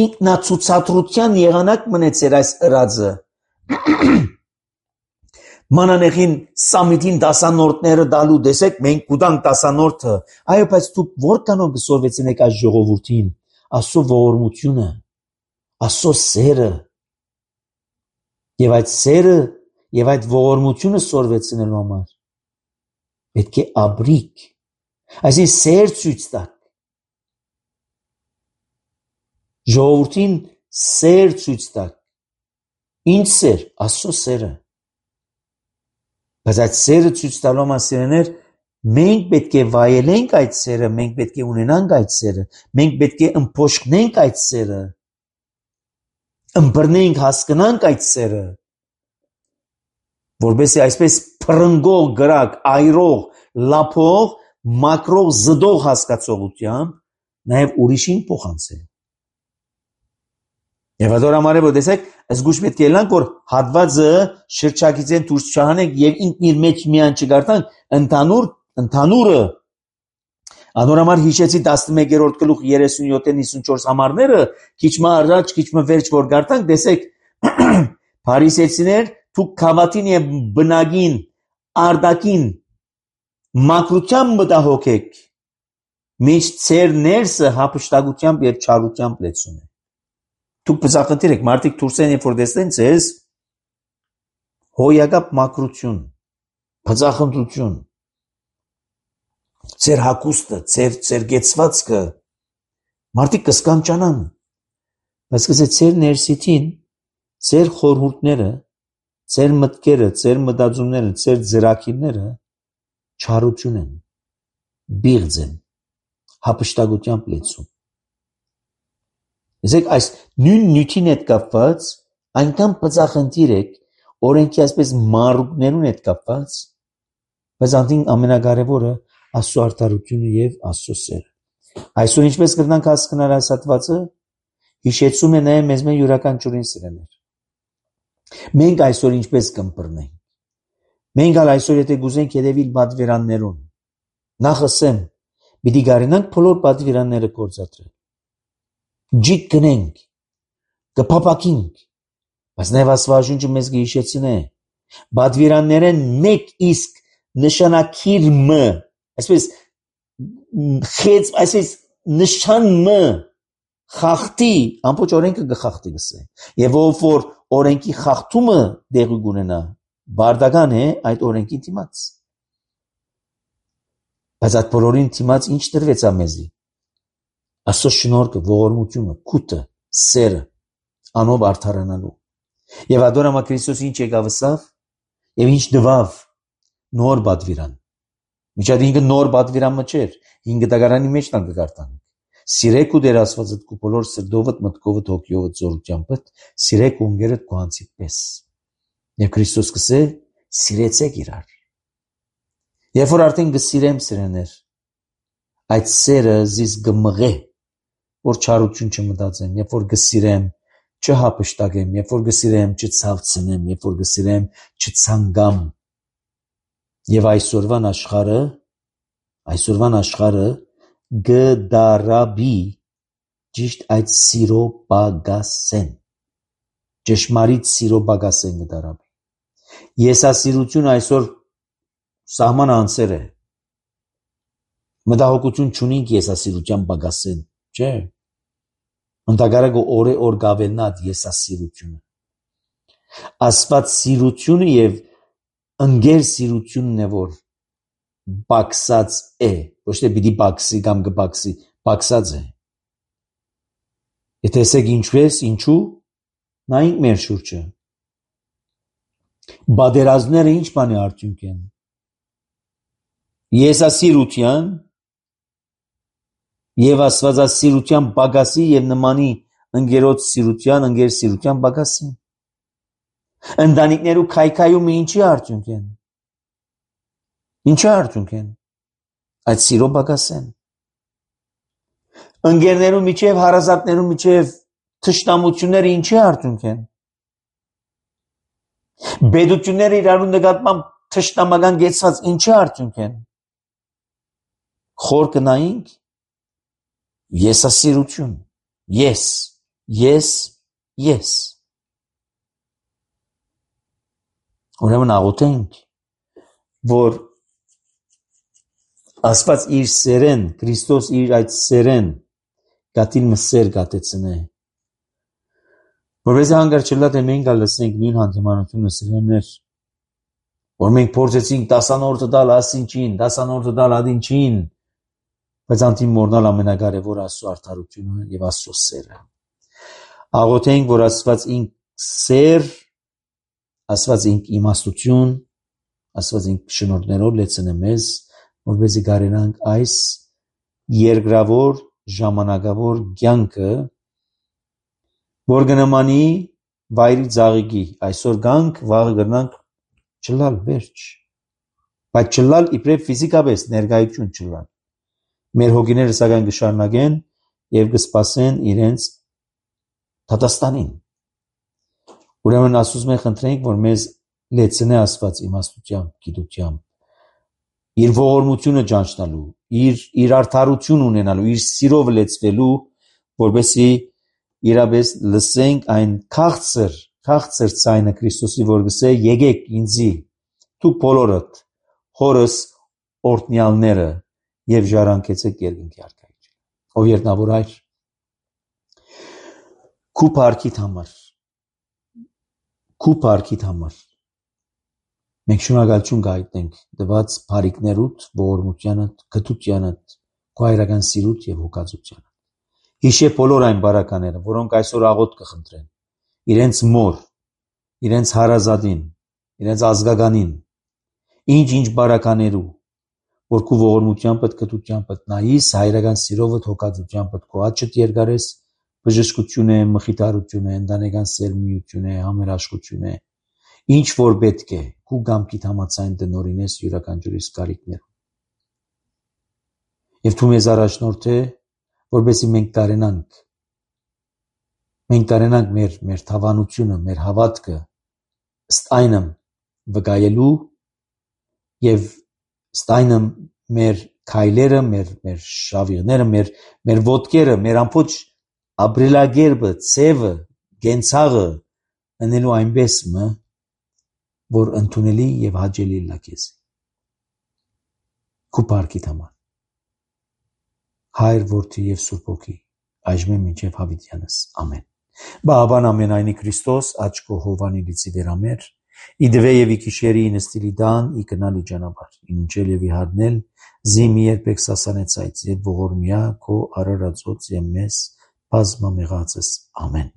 Speaker 1: ինքնացուցադրության եղանակ մնեցեր այս ըրածը։ Մանանեխին սամիտին դասանորդները դալու դեսեք, մենք կուտանք դասանորդը, այո, բայց դուք որքանով կսորվեցնեք այս ժողովրդին, Աստծո ողորմությունը, Աստծո սերը, եւ այդ սերը եւ այդ ողորմությունը սորվեցնելու համար պետք է աբրիկ, այսինքն սեր ցույց տաք, ժողովրդին սեր ցույց տաք, ինչ սեր, Աստծո սերը։ Բայց այդ սերը ցույց տալու համար սիրեներ, մենք պետք է վայելենք այդ սերը, մենք պետք է ունենանք այդ սերը, մենք պետք է ըմփոշխնենք այդ սերը, ըմբռնենք, հասկանանք այդ սերը, որովհետեւ այսպես փրնգող գրակ, այրող, լափող, մակրող, զդող հասկացողությամբ նաև ուրիշին փոխանցել։ Եվ ಅದոր համար է որ տեսեք, զգուշ պետք է լանք որ հատվածը շրջակիցեն դուրս չհանենք եւ ինքն իր մեջ միան չգարտանք, ընդհանուր ընդհանուրը Անոր համար հիշեցի տասնմեկերորդ գլուխ երեսունյոթ նիսունչորս համարները, քիչ մը առաջ, քիչ մը վերջ որ գարտանք, տեսեք, փարիսեցիներ, դուք քավատին եւ բնագին, արդակին մակրությամբ մտահոգ եք, միշտ ծեր ներսը հափշտակությամբ եւ չարությամբ լեցուն է։ Դուք բզախնդիր եք, մարդիկ դուրսեն երբ որ տեսնեն ձեզ, հոյակապ մակրություն, բզախնդրություն, ծեր հակուստը, ծեր ծեր գեցվածքը, մարդիկ կսկանչանան, բայց կսե ծեր ներսիտին, ծեր խորհուրդները, ծեր մտքերը, ծեր մտածումները, ծեր ձրակիրները չարություն են, բիղձ են, հափշտակությամբ լեցուն։ Իսկ այս նույն նյութին հետ կապված այնքան բծախնդիր եք, օրենքի այսպես մարուկներուն հետ կապված, բայց անտին ամենակարևորը Աստծո արդարությունը եւ Աստծո սերը։ Այսօր ինչպես կրնանք հասկանալ այս հատվածը, հիշեցում է նաեւ մեզ մեր յուրաքանչյուրին սիրեներ։ Մենք այսօր ինչպես կըմբռնենք։ Մենք ալ այսօր եթե գուզենք հետևիլ պատվիրաններուն, նախ ասեմ, պիտի գարինանք բոլոր պատվիրանները գործադրել։ Ջիկ գնենք, կփապակինք, բայց նաև Աստվածաշունչը մեզ կհիշեցնե, պատվիրաններեն մեկ իսկ նշանակիր մը, այսպես խեց, այսպես նշան մը խախտի, ամբողջ օրենքը կխախտի գսե, եւ ով որ օրենքի խախտումը դեղի կունենա, բարդական է այդ օրենքի դիմաց։ Բայց այդ բոլորին դիմաց ինչ տրվեցա մեզի։ Աստծո շնորհքը, ողորմությունը, քութը, սերը, անով արդարանալու։ Եվ ադորամա Քրիստոս ինչ եկավ ասավ, եւ ինչ դվավ նոր բադվիրան։ Միջად ինքը նոր բադվիրան մչեր, ինքը դագարանի մեջ տան կգարտան։ Սիրեք ու Տեր Աստվածդ քու բոլոր սրտովդ, մտքովդ, հոգիովդ, զորությամբ, սիրեք ունգերդ քու անձիդ պես։ Եվ Քրիստոս կսե սիրեցեք իրար։ Երբ որ արդեն գսիրեմ սիրեներ, այդ սերը զիս գմղե, որ չարություն չմտածեմ, երբ որ գսիրեմ, չհապշտակեմ, երբ որ գսիրեմ, չցավցնեմ, երբ որ գսիրեմ, չցանգամ։ Եվ այսօրվան աշխարհը, այսօրվան աշխարհը գդարաբի ճիշտ այդ սիրո բագասեն, ճշմարիտ սիրո բագասեն գդարաբի։ Եսասիրությունը այսօր սահման անցեր է։ Մտահոգություն չունենք եսասիրության բագասեն, չէ։ Ընդհակառակը օրե օր գավելնած եսասիրությունը։ Աստված սիրությունը եւ ընկեր սիրությունն է, որ բաքսած է, ոչ թե պիտի բաքսի կամ կբաքսի, բաքսած է։ Եթե ասեք ինչպես, ինչու, նայենք մեր շուրջը։ Բادرազները ինչ բան է արդյունք են։ Եսասիրության եւ աստվածասիրության բագասի եւ նմանի ընկերոջ սիրության, ընկեր սիրության բագասի։ Ընտանիքներու քայքայումը ինչի արդյունք են։ Ինչի արդյունք են։ Այդ սիրո բագասեն։ Ընկերներու միջև, հարազատներու միջև թշնամությունները ինչի արդյունք են։ Բեդությունները իրարու նկատմամբ թշնամական գեցված ինչի արդյունք են։ Խոր կնայինք եսասիրություն։ Ես, ես, ես։ Ուրեմն աղոթենք, որ Աստված իր սերեն, Քրիստոս իր այդ սերեն գատին մսեր գատեցնե։ Որպես հանգար չլա թե մենք լսենք նույն հանդիմանությունը սիրելիներ, որ մենք փորձեցինք տասանորդը տալ ասինչին, տասանորդը տալ ադինչին, բայց անտիմ մորնալ ամենակարևոր Աստծո արդարությունը եւ Աստծո սերը։ Աղոթենք, որ Աստված ինք սեր, Աստված ինք իմաստություն, Աստված ինք շնորհներով լեցնե մեզ, որպեսզի կարենանք այս երկրավոր ժամանակավոր կյանքը, որ կնմանի վայրի ծաղիկի, այսօր գանք, վաղը գնանք չլալ վերջ, բայց չլալ իբրև ֆիզիկապես ներկայություն չլալ։ Մեր հոգիները սակայն կշարունակեն եւ կսպասեն իրենց դատաստանին։ Ուրեմն ասում ենք խնդրենք, որ մեզ լեցնե Աստված իմաստությամբ, գիտությամբ, իր ողորմությունը ճանչնալու, իր իր արդարություն ունենալու, իր սիրով լեցվելու, որովհետեւ իրապես լսենք այն քաղցր, քաղցր ցայնը Քրիստոսի, որ գսե եկեք ինձի, դուք բոլորդ, հորս օրտնյալները եւ ժառանգեցեք երկինքի արքայություն։ Ով երնավոր այր, քու парքիդ համար, քու парքիդ համար մենք շնորհակալություն կհայտնենք դված բարիքներուդ, ողորմությանդ, գթությանդ, քո հայրական սիրուդ եւ հոգածությանդ։ Հիշե բոլոր այն բարակաները, որոնք այսօր աղոթ կխնդրեն, իրենց մոր, իրենց հարազատին, իրենց ազգականին, ինչ-ինչ բարականերու, որ քո ողորմությամբ, գթությամբ նայիս, հայրական սիրովդ, հոգածությամբ քո աչքդ երկարես, բժշկություն է, մխիթարություն է, ընտանեկան սերմիություն է, համերաշխություն է, ինչ որ պետք է, քու գամքիդ համաձայն դնորինես յուրաքանչյուրիս կարիքներում։ Եվ դու մեզ առաջնորդե, որպեսզի մենք կարենանք, մենք կարենանք մեր մեր թավանությունը, մեր հավատքը ըստ այնմ վկայելու եւ ըստ այնմ մեր քայլերը, մեր մեր շավիղները, մեր մեր ոտքերը, մեր ամբողջ ապրելակերպը, ցևը, գենցաղը անելու այնպես մը, որ ընդունելի եւ հաճելի լակես։ Քու парքիդ համար։ Հայր, Որդի եւ Սուրբ Հոգի, այժմ մինչեւ հավիտյանս։ Ամեն։ Բաբան ամենայնի Քրիստոս, աչքո հովանի լիցի վերամեր, իդվե եւ իքիշերի նստիլի դան, իկնալի ճանապարհ, ինչել եւ իհարնել, Զի մի երբեք սասանեցայց եւ ողորմյա քո արարածոց եւ մեզ բազմամեղածս ամեն